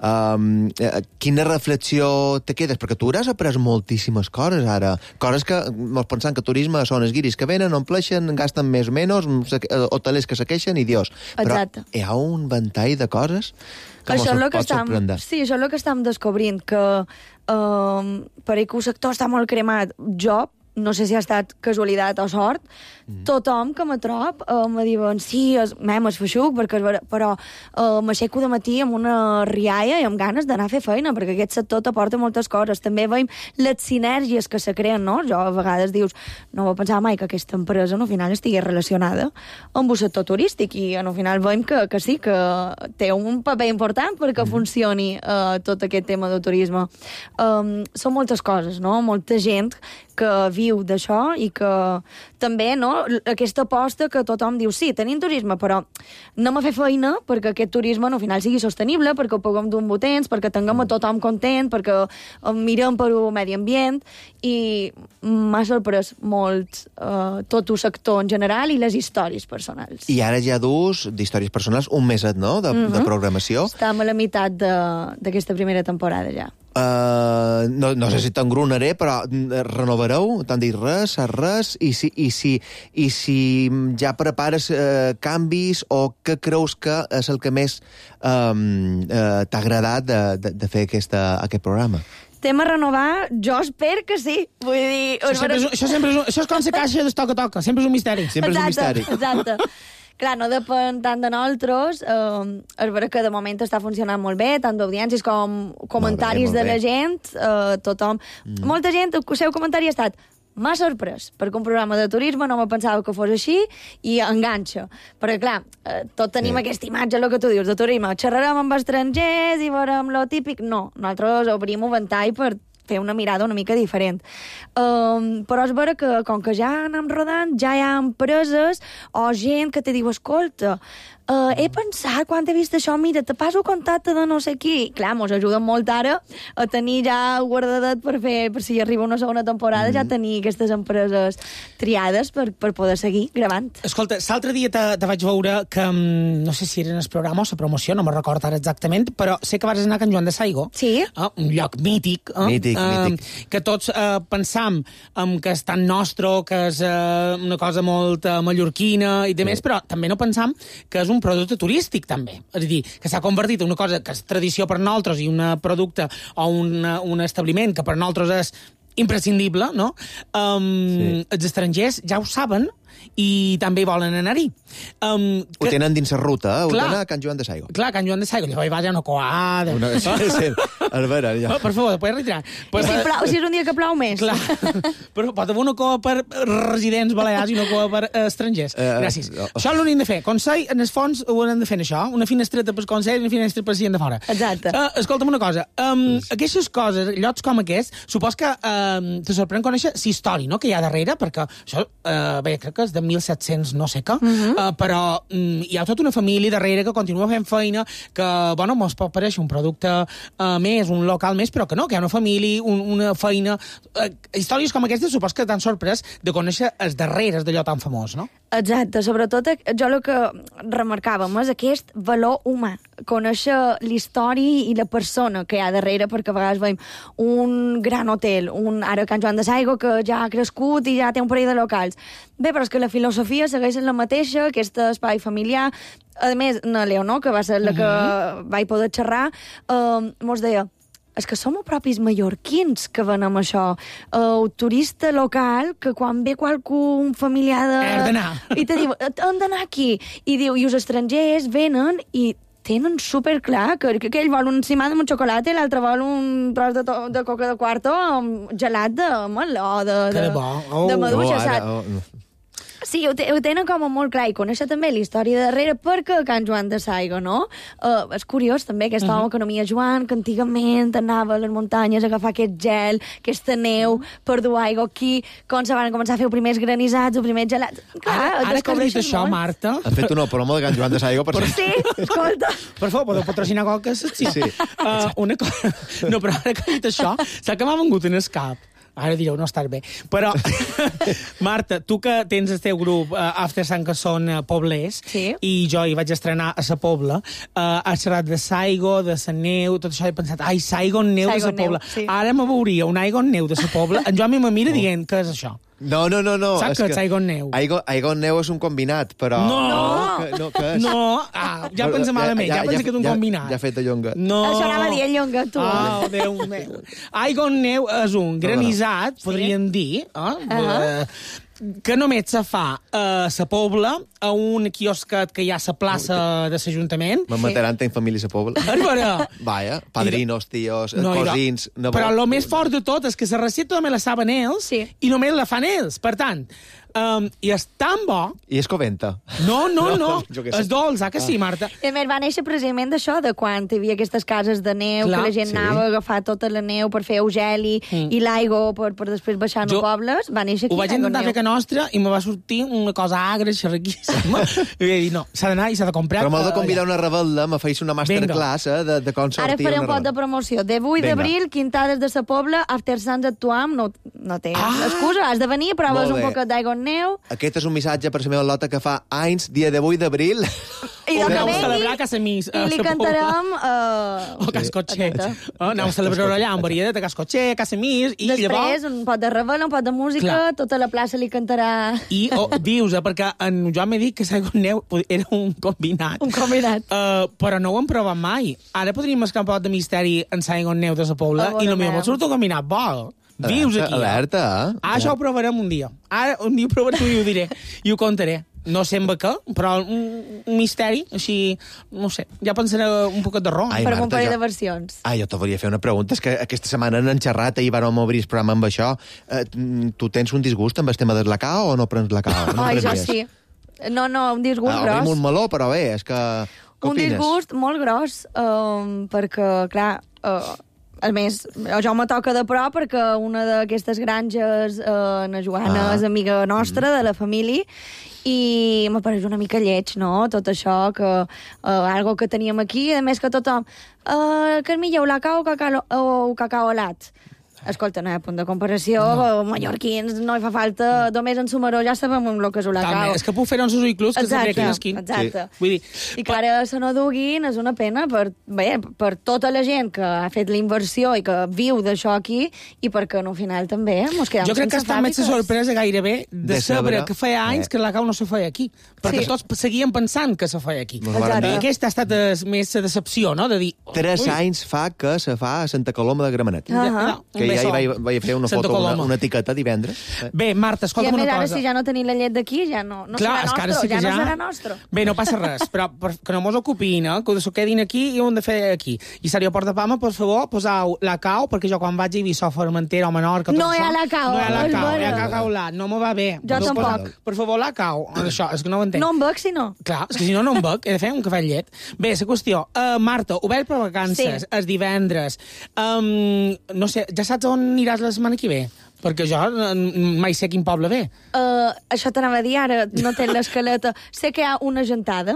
eh, quina reflexió te quedes? Perquè tu hauràs après moltíssimes coses ara. Coses que, mos pensant que turisme són els guiris que venen, ompleixen, gasten més o menys, hotelers que se queixen i Dios. Però Exacte. hi ha un ventall de coses que Això és mos el que pot estem, sorprendre. sí, això és el que estem descobrint, que um, per que el sector està molt cremat. Jo, no sé si ha estat casualitat o sort, mm. tothom que me trob uh, me diuen, sí, es, mem, es feixuc, perquè, és vera", però uh, m'aixeco de matí amb una rialla i amb ganes d'anar a fer feina, perquè aquest sector t'aporta moltes coses. També veiem les sinergies que se creen, no? Jo a vegades dius, no ho pensava mai que aquesta empresa, al final, estigui relacionada amb el sector turístic, i al final veiem que, que sí, que té un paper important perquè mm. funcioni uh, tot aquest tema del turisme. Um, són moltes coses, no? Molta gent que viu d'això i que també, no?, aquesta aposta que tothom diu, sí, tenim turisme, però anem a fer feina perquè aquest turisme al final sigui sostenible, perquè ho puguem dur amb temps, perquè tinguem a tothom content, perquè mirem per el medi ambient, i m'ha sorprès molt eh, tot el sector en general i les històries personals. I ara ja dus d'històries personals un meset, no?, de, Mhm. de programació. Estem a la meitat de- d'aquesta primera temporada ja. Uh, no, no sé si t'engronaré, però mm, renovareu? T'han dit res, saps res? I si, i si, i si ja prepares uh, canvis, o què creus que és el que més um, uh, t'ha agradat de, de, de fer aquesta, aquest programa? Tema renovar, jo espero que sí. Vull dir... Això, sempre és, això, sempre és, un- això és com la caixa de toca-toca, sempre és un misteri. Sempre és un misteri. Exacte. Clar, no depèn tant de nosaltres. Eh, és vera que de moment està funcionant molt bé, tant d'audiències com comentaris molt bé. de la gent. Eh, tothom... Mm. Molta gent, el seu comentari ha estat m'ha sorprès, perquè un programa de turisme no me pensava que fos així, i enganxa. Perquè, clar, eh, tot tenim Sí. sí. aquesta imatge, el que tu dius, de turisme. Xerrarem amb estrangers i veurem lo típic. No, nosaltres obrim un ventall per fer una mirada una mica diferent. Um, però és vera que, com que ja anem rodant, ja hi ha empreses o gent que te diu, escolta, uh, he pensat, quan he vist això, mira, te passo contacte de no sé qui. Clar, mos ajuda molt ara a tenir ja guardadet per fer, per si arriba una segona temporada, mm. ja tenir aquestes empreses triades per, per poder seguir gravant. Escolta, l'altre dia te, te vaig veure que, mm, no sé si era en el programa o la promoció, no me'n recordo ara exactament, però sé que vas anar a Can Joan de Saigo. Sí. Eh? Un lloc mític. Eh? Mític, eh, mític. Que tots eh, pensam um, que és tan nostre, que és eh, una cosa molt eh, mallorquina i de més, però també no pensam que és un producte turístic, també. És a dir, que s'ha convertit en una cosa que és tradició per nosaltres i un producte o una, un establiment que per nosaltres és imprescindible, no? Um, sí. Els estrangers ja ho saben i també volen anar-hi. Um, Ho tenen dins la ruta, eh? Ho Clar. tenen a Can Joan de Saigo. Clar, Can Joan de Saigo, llavors hi va ja una coada. Una... Sí, sí. A veure, ja. Oh, per favor, puedes retirar. Pues, Si, plou, si és un dia que plou més. Clar, però pot haver una coa per residents balears i una coa per eh, estrangers. Eh, Gràcies. no. Això l'únic de fer. Consell, en el fons, ho hem de fer, això. Una finestreta pel Consell i una finestra per gent de fora. Exacte. Uh, escolta'm una cosa. Um, aquestes coses, llocs com aquests, supos que um, te sorprèn conèixer la història, no?, que hi ha darrere, perquè això, uh, bé, crec que és de mil set-cents no sé què, Mhm. uh, però um, hi ha tota una família darrere que continua fent feina, que, bueno, mos pot parèixer un producte uh, més, un local més, però que no, que hi ha una família, un, una feina... Uh, històries com aquestes supos que t'han sorprès de conèixer els darreres d'allò tan famós, no? Exacte, sobretot eh, jo el que remarcàvem és aquest valor humà, conèixer l'història i la persona que hi ha darrere, perquè a vegades veiem un gran hotel, un, ara Can Joan de Saigo, que ja ha crescut i ja té un parell de locals. Bé, però és que la filosofia segueix la mateixa, aquest espai familiar. A més, na Leonor, que va ser la que uh-huh. vaig poder xerrar, eh, mos deia, és que som propis mallorquins que venem això. El turista local, que quan ve qualcú, un familiar de... Hem d'anar. I te diu, hem d'anar aquí. I diu, i els estrangers venen i tenen superclar que, que ell vol un cimà amb un xocolata i l'altre vol un tros de, to, de coca de quarto amb gelat de meló, de, de, Que bo. Oh. de maduixa, Oh, ara, saps? oh. Sí, ho, te, ho tenen com a molt clar, i conèixer també la història de darrere, perquè Can Joan de Saigo, no? Uh, és curiós, també, aquest uh-huh. home que nomia Joan, que antigament anava a les muntanyes a agafar aquest gel, aquesta neu, uh-huh. per dur aigua aquí, com se van començar a fer els primers granissats, els primers gelats... Clar, Ara, ara que has dit això, molt. Marta... Han fet una promo de Can Joan de Saigo, per Sí, escolta. Per favor, podeu patrocinar coca? Sí. Sí. Uh, una cosa... No, però ara que has dit això, saps que m'ha vengut en el cap? Ara direu, no estàs bé. Però, Marta, tu que tens el teu grup uh, After Sant, que són uh, poblers, sí. i jo hi vaig estrenar a sa Pobla, uh, has xerrat de Saigo, de sa neu, tot això, he pensat, ai, Saigon neu Saigon de sa Pobla. neu, sí. Ara me veuria un Aigon neu de sa Pobla, en Joan me mira Oh. dient, què és això? No, no, no, no. Saps que és Aigon neu? Aigon, Aigon neu és un combinat, però... No! Que, no, que és... No! Ah, ja pensa malament, ja, ja, ja pensa que és un ja, combinat. Ja ha fet de llonga. No. Això anava a dir el Llonga, tu. Oh, Déu meu. Aigon neu és un granissat, podríem dir, eh? Uh-huh. que només se fa a sa Pobla, a un quiosquet que hi ha a la plaça de l'Ajuntament. Me mataran en família a Pobla. És vera. Vaja, padrinos, tios, No, cosins... No, però el més fort de tot és que la recepta només la saben ells Sí. i només la fan ells. Per tant, um, i és tan bo... I és coventa. No, no, no. Jo què sé. És dolç, ah que sí, Marta? I a més, va néixer precisament d'això, de quan hi havia aquestes cases de neu, Clar, que la gent sí. anava a agafar tota la neu per fer eugeli Mm. i l'aigua per, per després baixar Jo a pobles. Va néixer aquí. Ho vaig Aigua intentar Neu. fer que nostra i me va sortir una cosa agra, xerraquíssima. I vaig dir, no, s'ha d'anar i s'ha de comprar. Però m'heu de eh, convidar allà. una rebel·la, me feis una masterclass eh, de, de com sortir Ara faré un una pot de rebel·la. promoció. De vuit Vinga. d'abril, Quintades de sa Pobla, After Sants actuam, no, no té Ah! excusa, has de venir, proves Molt un bé. poquet d'aigua en neu, Aquest és un missatge per la meva lota que fa anys, dia de vuit d'abril. i O del que aneu a vengui, celebrar a casa mis, a i li sa Pobla. cantarem... Uh, O Cascotxer. Exacte. Oh, aneu a celebrar allà amb varietat de Cascotxer, a casa mis, i Després, llavors... un pot de rebel, un pot de música, Clar. tota la plaça li cantarà I oh, dius, eh, perquè en Joan m'ha dit que Saigon Neu era un combinat. un combinat. Uh, però no ho hem provat mai. Ara podríem escampar un pot de misteri en Saigon Neu de sa Pobla A i veure, potser veure. surt un combinat bo. Dius aquí. eh? Alerta, eh? Ah, això ho provarem un dia. Ara, un dia ho provaré i ho diré. I ho contaré. No sé amb què, però un, un misteri, així, no sé, ja pensaré un poquet de ron. Ai, Per Marta, un parell jo- de versions. Ah, jo te volia fer una pregunta. És que aquesta setmana n'han xerrat, ahir vam obrir el programa amb això. Eh, tu tens un disgust amb el tema del lacao o no prens lacao? No Ai, jo prenies? sí. No, no, un disgust Ah, gros. obrim un meló, però bé, és que... Què Un opines? disgust molt gros, um, perquè, clar, uh, a més, jo me toca de prop perquè una d'aquestes granges, uh, na Joana, Ah. és amiga nostra, de la família, i m'apareix una mica lleig, no?, tot això, que uh, algo que teníem aquí, a més que tothom, uh, que millor la cau cacao, o cacao alat. Escolta, no hi ha punt de comparació, no. Mallorquins no hi fa falta, només en Sumaró ja sabem el que és un També, lacau. és que puc fer uns usuiclus que Exacte, s'aprequen esquin. exacte. Sí. Vull dir, I que ara se no duguin és una pena per, bé, per tota la gent que ha fet la inversió i que viu d'això aquí i perquè no, al final també mos quedem jo crec que sense està més fàbriques. sorpresa gairebé de, De saber saber. que feia anys Eh. que la cau no se feia aquí. Perquè Sí. tots seguien pensant que se feia aquí. Mos varen Exacte. I dir. aquesta ha estat eh, més la decepció, no?, de dir... Tres ui, anys fa que se fa a Santa Coloma de Gramenet. Ah. ja, Que un ja hi beso. vaig, vaig fer una Santa foto, una, Coloma. una etiqueta divendres. Eh. Bé, Marta, I a escolta'm més, una ara cosa. si ja no tenim la llet d'aquí, ja no, no Clar, és serà que ara nostre, sí que ja, ja... no serà nostre. Bé, no passa res, però per, que no mos ocupin, eh? Que s'ho quedin aquí i ho hem de fer aquí. I seria Port de Palma, per favor, posau la cau, perquè jo quan vaig a Eivissa o Formentera o Menorca... tot No hi ha això, la cau, No hi ha la és cau, hi ha vera. cacau lat, no m'ho va bé. Jo No tampoc. posa- Per favor, la cau. Això, és que no ho entenc. No em bec, si no. Clar, és que si no, no em bec, he de fer un cafè amb llet. Bé, la qüestió, uh, Marta, obert per vacances, Sí. els divendres. Um, no sé, ja saps on aniràs la setmana que ve? perquè jo mai sé quin poble ve. Uh, això t'anava a dir ara, no té l'escaleta. Sé que hi ha una gentada,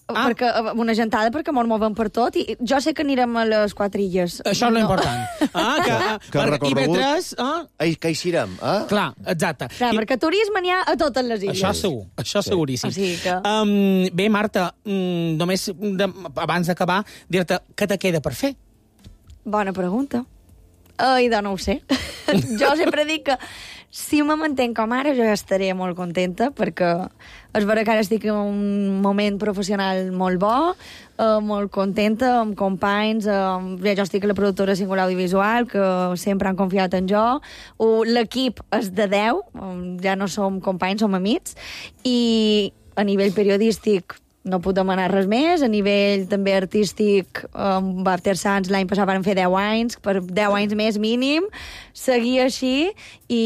ah. perquè, una gentada perquè mos movem per tot, i jo sé que anirem a les quatre illes. Això és no. l'important. Ah, que, que el recorregut... Ah? Que eixirem, eh? Clar, exacte. Clar, I... perquè turisme n'hi ha a totes les illes. Això segur, això sí. seguríssim. O sigui que... um, bé, Marta, um, només de, abans d'acabar, dir-te què te queda per fer? Bona pregunta. Ai, doncs no ho sé. Jo sempre dic que si me mantenc com ara, jo ja estaré molt contenta, perquè és vera que ara estic en un moment professional molt bo, eh, molt contenta, amb companys, eh, jo estic a la productora Singular Audiovisual, que sempre han confiat en jo, l'equip és de deu, ja no som companys, som amics, i a nivell periodístic no puc demanar res més. A nivell també artístic, amb After Sants l'any passat van fer deu anys, per deu anys més mínim, seguir així i,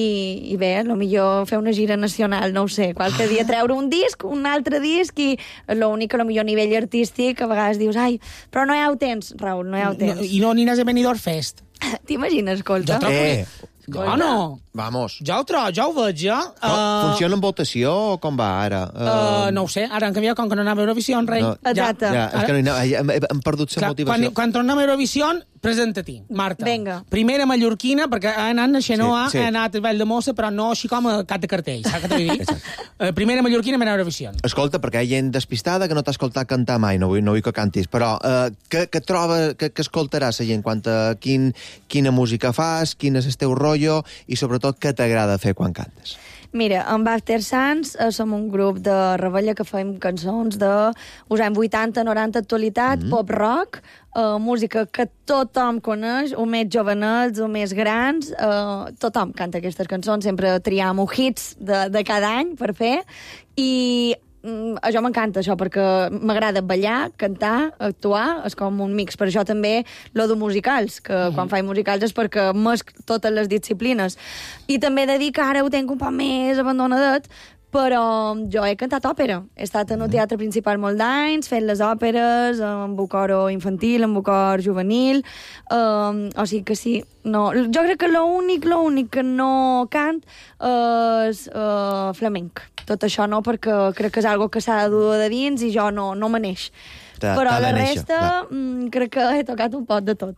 i bé, potser fer una gira nacional, no ho sé, qualque dia treure un disc, un altre disc, i l'únic que potser a nivell artístic a vegades dius, ai, però no hi ha temps, Raül, no hi ha temps. No, I no aniràs a Benidorm Fest? T'imagines, escolta? Jo trobo Eh, Oh, no. Vamos. Ja ho trobo, ja ho veig, ja. Uh... Funciona amb votació o com va ara? Uh... Uh, no ho sé, ara han canviat, com que no anava a Eurovisió, rei. No. Exacte. Ja, és que no hi anava, hem, hem perdut la motivació. Quan, quan tornem a Eurovisió, presenta-t'hi, Marta. Vinga. Primera mallorquina, perquè ha anat a Xenoa, sí, sí. ha anat a Vall de Mossa, però no així com a cap de cartell, saps què t'ho vull dir? uh, primera mallorquina per anar a Eurovisió. Escolta, perquè hi ha gent despistada que no t'ha escoltat cantar mai, no vull, no vull que cantis, però uh, què, què troba, què, què escoltaràs la gent quant a quin, quina música fas, quin és el teu rotllo, i sobretot què t'agrada fer quan cantes? Mira, amb After Sants eh, som un grup de rebella que fem cançons de us anys vuitanta, noranta, actualitat, mm -hmm. pop-rock, eh, música que tothom coneix, o més jovenets, o més grans, eh, tothom canta aquestes cançons, sempre triam hits de, de cada any per fer, i mm, això m'encanta, això, perquè m'agrada ballar, cantar, actuar, és com un mix. Per això també lo de musicals, que mm. quan faig musicals és perquè mesc totes les disciplines. I també he de dir que ara ho tinc un poc més abandonadet, però jo he cantat òpera. He estat en un teatre principal molt d'anys, fent les òperes, amb un coro infantil, amb un cor juvenil, um, o sigui que sí. No, jo crec que l'únic, l'únic que no cant és uh, flamenc. Tot això no, perquè crec que és algo que s'ha de dur de dins i jo no, no me neix. Però la resta mm, crec que he tocat un pot de tot.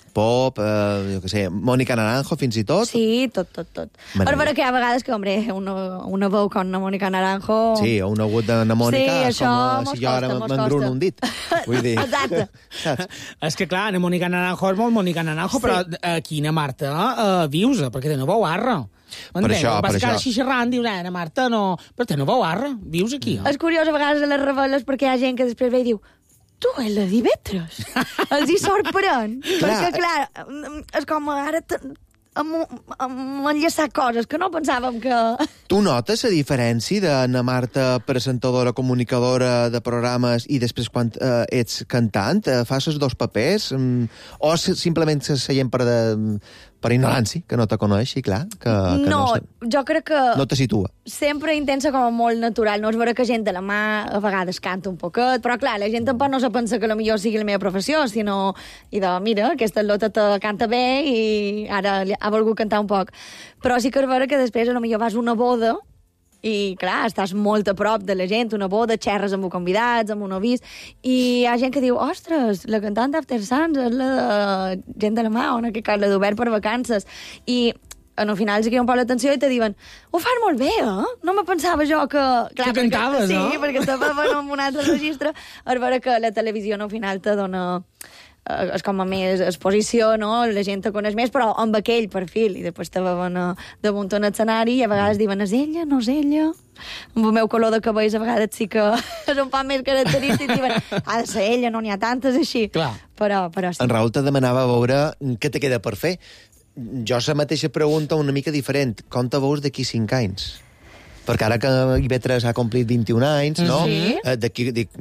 Pop, eh, jo què sé, Mònica Naranjo, fins i tot? Sí, tot, tot, tot. Per veure que hi ha vegades que, hombre, una, una veu com una Mònica Naranjo... Sí, o un agut d'una Mònica, sí, és com com si jo ara m'engruno un dit. Vull dir... Exacte. Saps? És que, clar, Ana Mònica Naranjo és molt Mònica Naranjo, sí. Però uh, quina Marta uh, vius, perquè té una veu arra. Per això, per això. Vas això. així xerrant, dius, Ana Marta, no... Però té una veu arra, vius aquí. Eh? És curiós a vegades a les reveles perquè hi ha gent que després ve i diu tu, és la Divetres. Els hi sorprèn. Perquè, clar, és com ara hem enllaçat coses que no pensàvem que... Tu notes la diferència d'Anna Marta, presentadora, comunicadora de programes, i després quan eh, ets cantant? Eh, fas els dos papers? Mm, o simplement se seient per, de, per ignorància, que no te coneix, i clar, que, que no, no, jo crec que... No te situa. Sempre intensa com a molt natural. No és vera que gent de la mà a vegades canta un poquet, però clar, la gent tampoc no se pensa que la millor sigui la meva professió, sinó, i de, mira, aquesta lota te canta bé i ara ha volgut cantar un poc. Però sí que és vera que després a lo millor vas a una boda i, clar, estàs molt a prop de la gent, una boda, xerres amb convidats, amb un avís, i hi ha gent que diu, ostres, la cantant d'After Sants és la de gent de la mà, ona, que cal, la d'Obert per vacances. I al final se queda un poc l'atenció i te diuen, ho fas molt bé, eh? No me pensava jo que... Clar, que cantaves, perquè, no? Sí, perquè estava en un altre registre. És vera que la televisió al final te dona... és com a més exposició, no? La gent te coneix més, però amb aquell perfil. I després te veuen a, damunt un escenari i a vegades diuen, és ella, no és ella? Amb el meu color de cabells a vegades sí que és un poc més característic. Diuen, ha de ser ella, no n'hi ha tantes així. Clar. Però, però sí. En Raül te demanava veure què te queda per fer. Jo la mateixa pregunta una mica diferent. Com te veus d'aquí cinc anys? Perquè ara que I V tres ha complit vint-i-un anys, no? Sí. Eh, d'aquí, dic,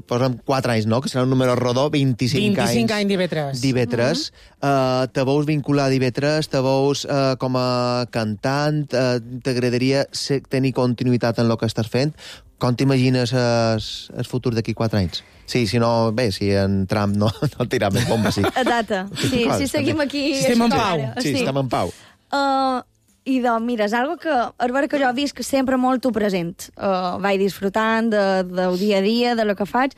posa'm quatre anys, no? Que serà un número rodó, vint-i-cinc, vint-i-cinc anys. anys d'I V tres. D'I V tres. Uh -huh. uh, te veus vincular a I V tres, te veus uh, com a cantant, uh, t'agradaria tenir continuïtat en el que estàs fent. Com t'imagines el futur d'aquí quatre anys? Sí, si no, bé, si en Trump no, no tira més bomba, sí. Exacte. Sí, si seguim aquí... Si estem en pau. Sí, sí, estem en pau. Uh, I doncs, mira, és algo que, és vera que jo visc sempre molt present. Uh, vaig disfrutant de, del dia a dia, de lo que faig,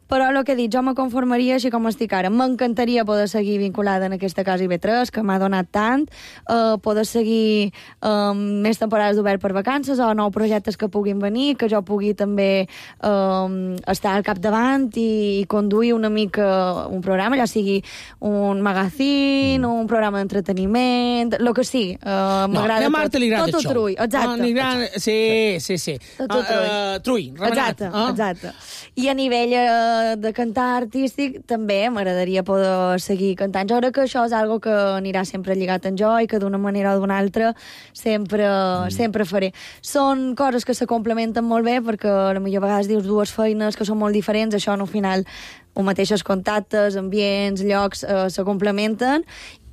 però el que he dit, jo me conformaria així com estic ara. M'encantaria poder seguir vinculada en aquesta casa I B tres, que m'ha donat tant, uh, poder seguir um, més temporades d'obert per vacances o nous projectes que puguin venir, que jo pugui també um, estar al capdavant i, i conduir una mica un programa, ja sigui un magazine, mm. un programa d'entreteniment, el que sigui. Uh, no, a Marta li agrada tot això. Tot Trui, exacte. No, agrada... Sí, sí, sí. Tot, tot uh, uh, Trui, remenat. Exacte, uh? exacte. I a nivell uh, de cantar artístic també m'agradaria poder seguir cantant. Jo crec que això és algo que anirà sempre lligat en jo i que d'una manera o d'una altra sempre, mm. sempre faré. Són coses que se complementen molt bé perquè a millor vegades dius dues feines que són molt diferents, això al final els mateixos contactes, ambients, llocs eh, se complementen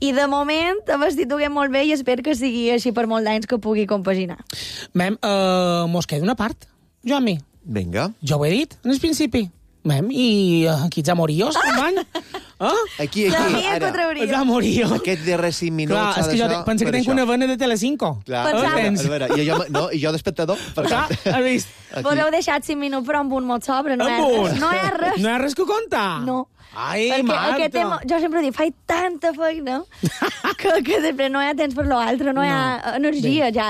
i de moment a vestituguem molt bé i espero que sigui així per molt d'anys que pugui compaginar. Mem, uh, mos queda una part, Joan-mi. Vinga. Jo ho he dit, en el principi. Mem, i uh, aquí ets amoríos, company? Ah? Aquí, aquí, ara. Ets amoríos. Aquests darrers cinc minuts... Clar, és que jo penso que tenc una vena de Telecinco. Clar, a veure, i jo, no, i jo d'espectador. Clar, has vist? Vos heu deixat cinc minuts, però amb un mot sobre, no hi ha res. No hi ha res. No hi ha res que contar? No. Ai, perquè Marta. Tema, jo sempre dic, faig tanta feina que, que després no hi ha temps per l'altre, no hi ha no. energia. Ja,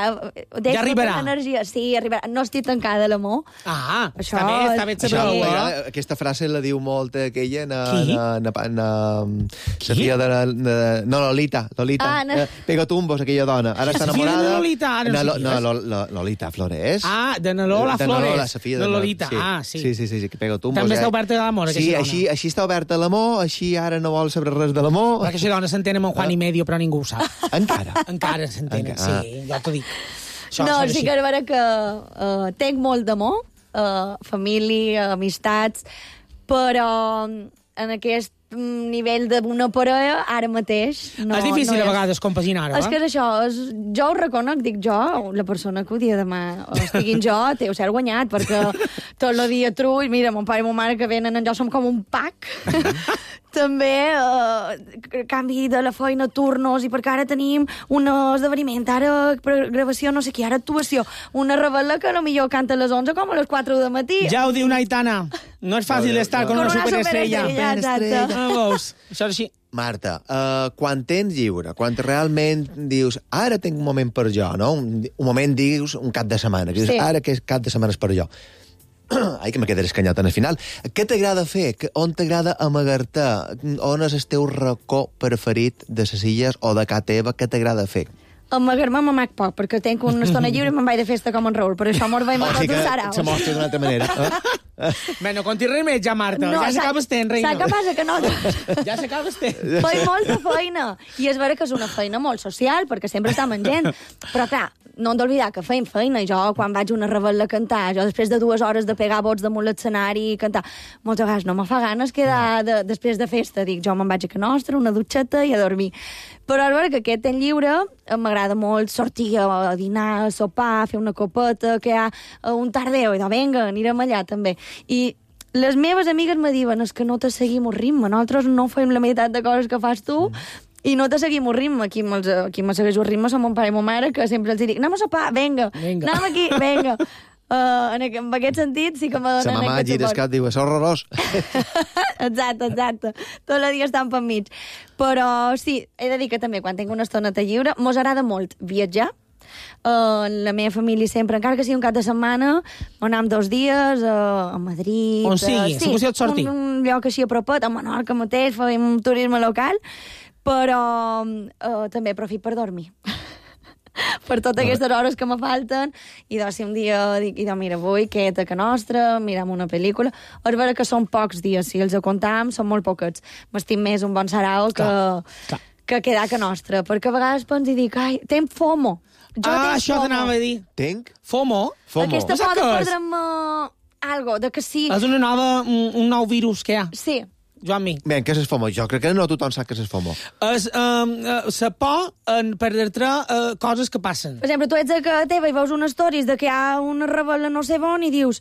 ja arribarà. Energia. Sí, arribarà. No estic tancada a l'amor. Ah, això, està bé, està bé saber-ho. Eh? Aquesta frase la diu molt aquella na, Qui? na, na, na, la filla de, de... No, Lolita. Lolita. Ah, no. eh, Pegatumbos, aquella dona. Ara està enamorada. De Lolita, ara no, no, no, no, no, Lolita Flores. Ah, de na Lola de Flores. Lola, la filla de, de Lolita. Sí. Ah, sí. Sí, sí, sí, sí, que Pegatumbos. També està eh? oberta a l'amor, sí, així, així està oberta a l'amor, així ara no vol saber res de l'amor. Perquè aquesta dona s'entén amb en Juan i medio, però ningú ho sap. Encara? Encara s'entenen, Encara. sí, jo t'ho dic. Això, no, sí que és vera que uh, tenc molt d'amor, uh, família, amistats, però en aquest nivell d'una parella, ara mateix... No, és difícil no a vegades compaginar-ho, eh? És que és això, és, jo ho reconec, dic jo, la persona que ho dia demà, o estiguin jo, té ho cert guanyat, perquè tot el dia trull, mira, mon pare i mon mare que venen en jo som com un pack, també eh, canvi de la feina, turnos, i perquè ara tenim un esdeveniment, ara gravació, no sé què, ara actuació, una rebel·la que potser canta a les onze com a les quatre del matí. Ja ho diu Naitana, no és fàcil estar con una superestrella. Superestrella, Ah, veus? Això és així. Marta, uh, quan tens lliure, quan realment dius ara tinc un moment per jo, no? Un, un moment, dius, un cap de setmana, que dius, sí. ara que cap de setmana és per jo. Ai, que me quedaré escanyat en el final. Què t'agrada fer? On t'agrada amagar-te? On és el teu racó preferit de les illes o de casa teva? Què t'agrada fer? Amagar-me m'amac poc, perquè tenc una estona lliure i me'n vaig de festa com en Raül, per això mos veiem a tots els saraus. Se mostra d'una altra manera. Eh? Bé, no conti res més ja, Marta. No, ja s'acaba estent, reina. Saps què passa? Que no... Ja s'acaba estent. Faig molta feina. I és vera que és una feina molt social, perquè sempre estem amb gent. Però, clar, no hem d'oblidar que feim feina. I jo, quan vaig a una rebel·la a cantar, jo després de dues hores de pegar bots damunt l'escenari i cantar, moltes vegades no me fa ganes quedar de, després de festa. Dic, jo me'n vaig a Can Nostra, una dutxeta i a dormir. Però és vera que aquest temps lliure m'agrada molt sortir a dinar, a sopar, a fer una copeta, que hi ha un tardeu, i doncs vinga, anirem allà també. I les meves amigues me diuen, és que no te seguim un ritme, nosaltres no fem la meitat de coses que fas tu, i no te seguim un ritme. Qui me, qui me segueix un ritme són mon pare i mon mare, que sempre els dic, anem a sopar, vinga, vinga. anem aquí, vinga. Uh, en, en aquest sentit sí que me donen... Sa mamà gira el cap diu, és horrorós. Exacte, exacte. Tot el dia estan per mig. Però sí, he de dir que també quan tinc una estoneta lliure, mos agrada molt viatjar. Uh, la meva família sempre, encara que sigui un cap de setmana, anem dos dies uh, a Madrid... On sigui, uh, sí, si et sortir. Un, un lloc així a propet, a Menorca mateix, fem un turisme local, però uh, també aprofit per dormir. Per totes aquestes hores que me falten, i doncs si un dia dic, i doncs mira, avui queda't a Can Nostra, mirem una pel·lícula, és vera que són pocs dies, si els comptam, són molt poquets. M'estim més un bon sarau que, clar. que quedar a Can Nostra, perquè a vegades penso i dic, ai, tenc FOMO. Jo ah, tenc això FOMO. t'anava a dir. Tenc? FOMO? FOMO. Aquesta por de perdre'm uh, algo, de que sí. És una nova, un, un nou virus que hi ha. Sí, Joan-Mi. Bé, què és el FOMO? Jo crec que no tothom sap què és el FOMO. És um, la por en perdre uh, coses que passen. Per exemple, tu ets a casa teva i veus unes stories de que hi ha una rebel·la no sé on i dius,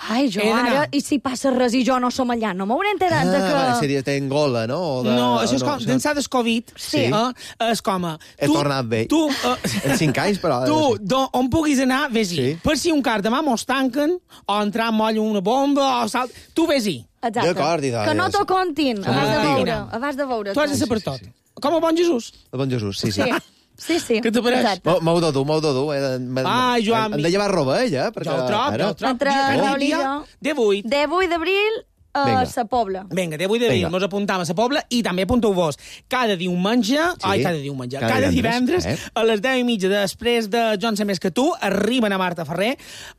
ai, jo He d'anar. ara, i si passa res i jo no som allà, no m'hauré enterat de que... Ah, seria de Angola, no? O de, No, això és no, com, d'ençà del Covid, Sí. eh, és com... a, He tornat bé. Tu, uh, En cinc anys, però... tu do, on puguis anar, vés-hi. Sí. Per si un car demà mos tanquen, o entrar en moll una bomba, o salt... Tu vés-hi. Exacte. D'acord, i de- Que no t'ho contin, Som abans de una veure. tigre. Abans de veure. Tu has de ser per tot. Com el bon Jesús. El bon Jesús, sí, sí. Sí, sí, sí. Què te pareix? Exacte. M'ho m'heu de dur, m'heu de dur. Eh? M'he- Ai, Joan, Hem de llevar roba, ella, perquè... Jo el trob, jo el trob. Entre Dia- Raül i dia jo. divuit. divuit d'abril a Vinga. sa Pobla. Vinga, divuit d'abril, Vinga. mos apuntam a la Pobla i també apunteu-vos cada diumenge, sí. ai, cada diumenge, Cada cada, divendres, divendres, eh? a les deu i mitja després de Jo en sé més que tu, arriben a Marta Ferrer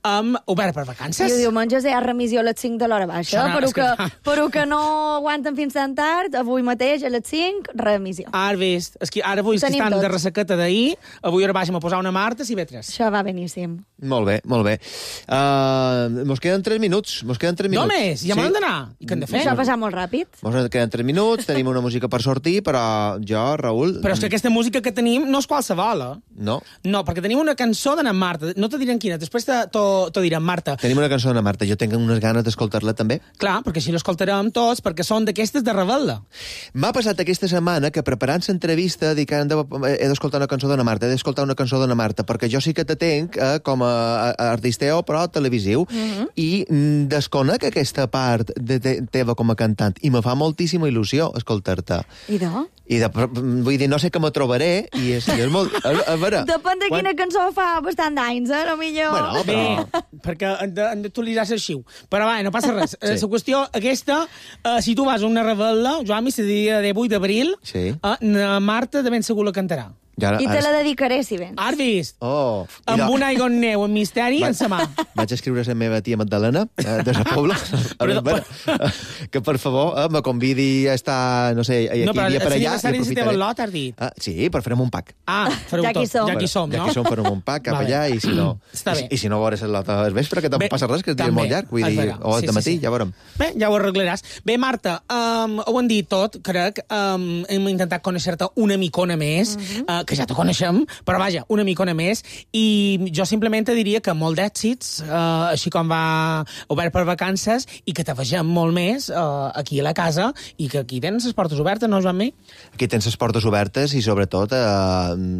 amb Obert per Vacances. I el diumenge hi ha remissió a les cinc de l'hora baixa, Serà, però és que, que- però que no aguanten fins tan tard, avui mateix a les cinc, remissió. Ara vist, és que ara avui és que Tenim estan tots. de ressaqueta d'ahir, avui ara baixem a posar una Marta, si ve tres. Això va beníssim. Molt bé, molt bé. Uh, mos queden tres minuts. Mos queden tres minuts. Només, ja m'han d'anar. I què hem de fer? Això ha passat molt ràpid. Mos queden tres minuts, tenim una música per sortir, però jo, Raül... Però és que aquesta música que tenim no és qualsevol, eh? No. No, perquè tenim una cançó d'Anna Marta. No te direm quina, després te, te, te direm Marta. Tenim una cançó d'Anna Marta. Jo tinc unes ganes d'escoltar-la també. Clar, perquè així l'escoltarem tots, perquè són d'aquestes de rebel·la. M'ha passat aquesta setmana que preparant l'entrevista dic que hem de, he d'escoltar una cançó d'Anna Marta, he d'escoltar una cançó d'Anna Marta, perquè jo sí que te tenc eh, com a, a artisteo, però televisiu, mm -hmm. i mm, desconec aquesta part de te, teva com a cantant, i me fa moltíssima il·lusió escoltar-te. I de? I de, vull dir, no sé que me trobaré, i és, i és molt... A, a veure... Depèn de quina cançó fa bastant d'anys, eh? No millor... Bueno, Bé, perquè hem de- hem d'actualitzar l'arxiu. Però va, no passa res. La Sí. qüestió aquesta, eh, si tu vas a una rebel·la, Joan, se dia divuit d'abril, Sí. eh, na Marta de ben segur la cantarà. I, ara, I te la dedicaré, si vens. Has vist? Oh, i Amb de- un aigua en neu, en misteri, en sa mà. Vaig escriure a la meva tia Magdalena, eh, de la Pobla, a Però- veure, que per favor eh, me convidi a estar, no sé, aquí No, però dia per és allà. l'aniversari i de la teva aprofitaré. lot, has dit. Ah, sí, però farem un pack. Ah, fareu Ja tot. qui som. Ja qui som, ja no? que som, farem un pack cap Vale. allà, i si no... Està i, bé. I si no veuràs la lot al vespre, que tampoc Bé, passa res, que és dia també, molt llarg, vull es dir, verà. o al Sí, de sí, matí, sí. ja veurem. Bé, ja ho arreglaràs. Bé, Marta, um, ho hem dit tot, crec. Um, hem intentat conèixer-te una micona més, uh -huh. uh, que ja te coneixem, però vaja, una micona més, i jo simplement te diria que molt d'èxits, uh, així com va Obert per Vacances, i que te vegem molt més uh, aquí a la casa, i que aquí tens les portes obertes, no, Joan-Mi? Aquí tens les portes obertes i, sobretot, eh,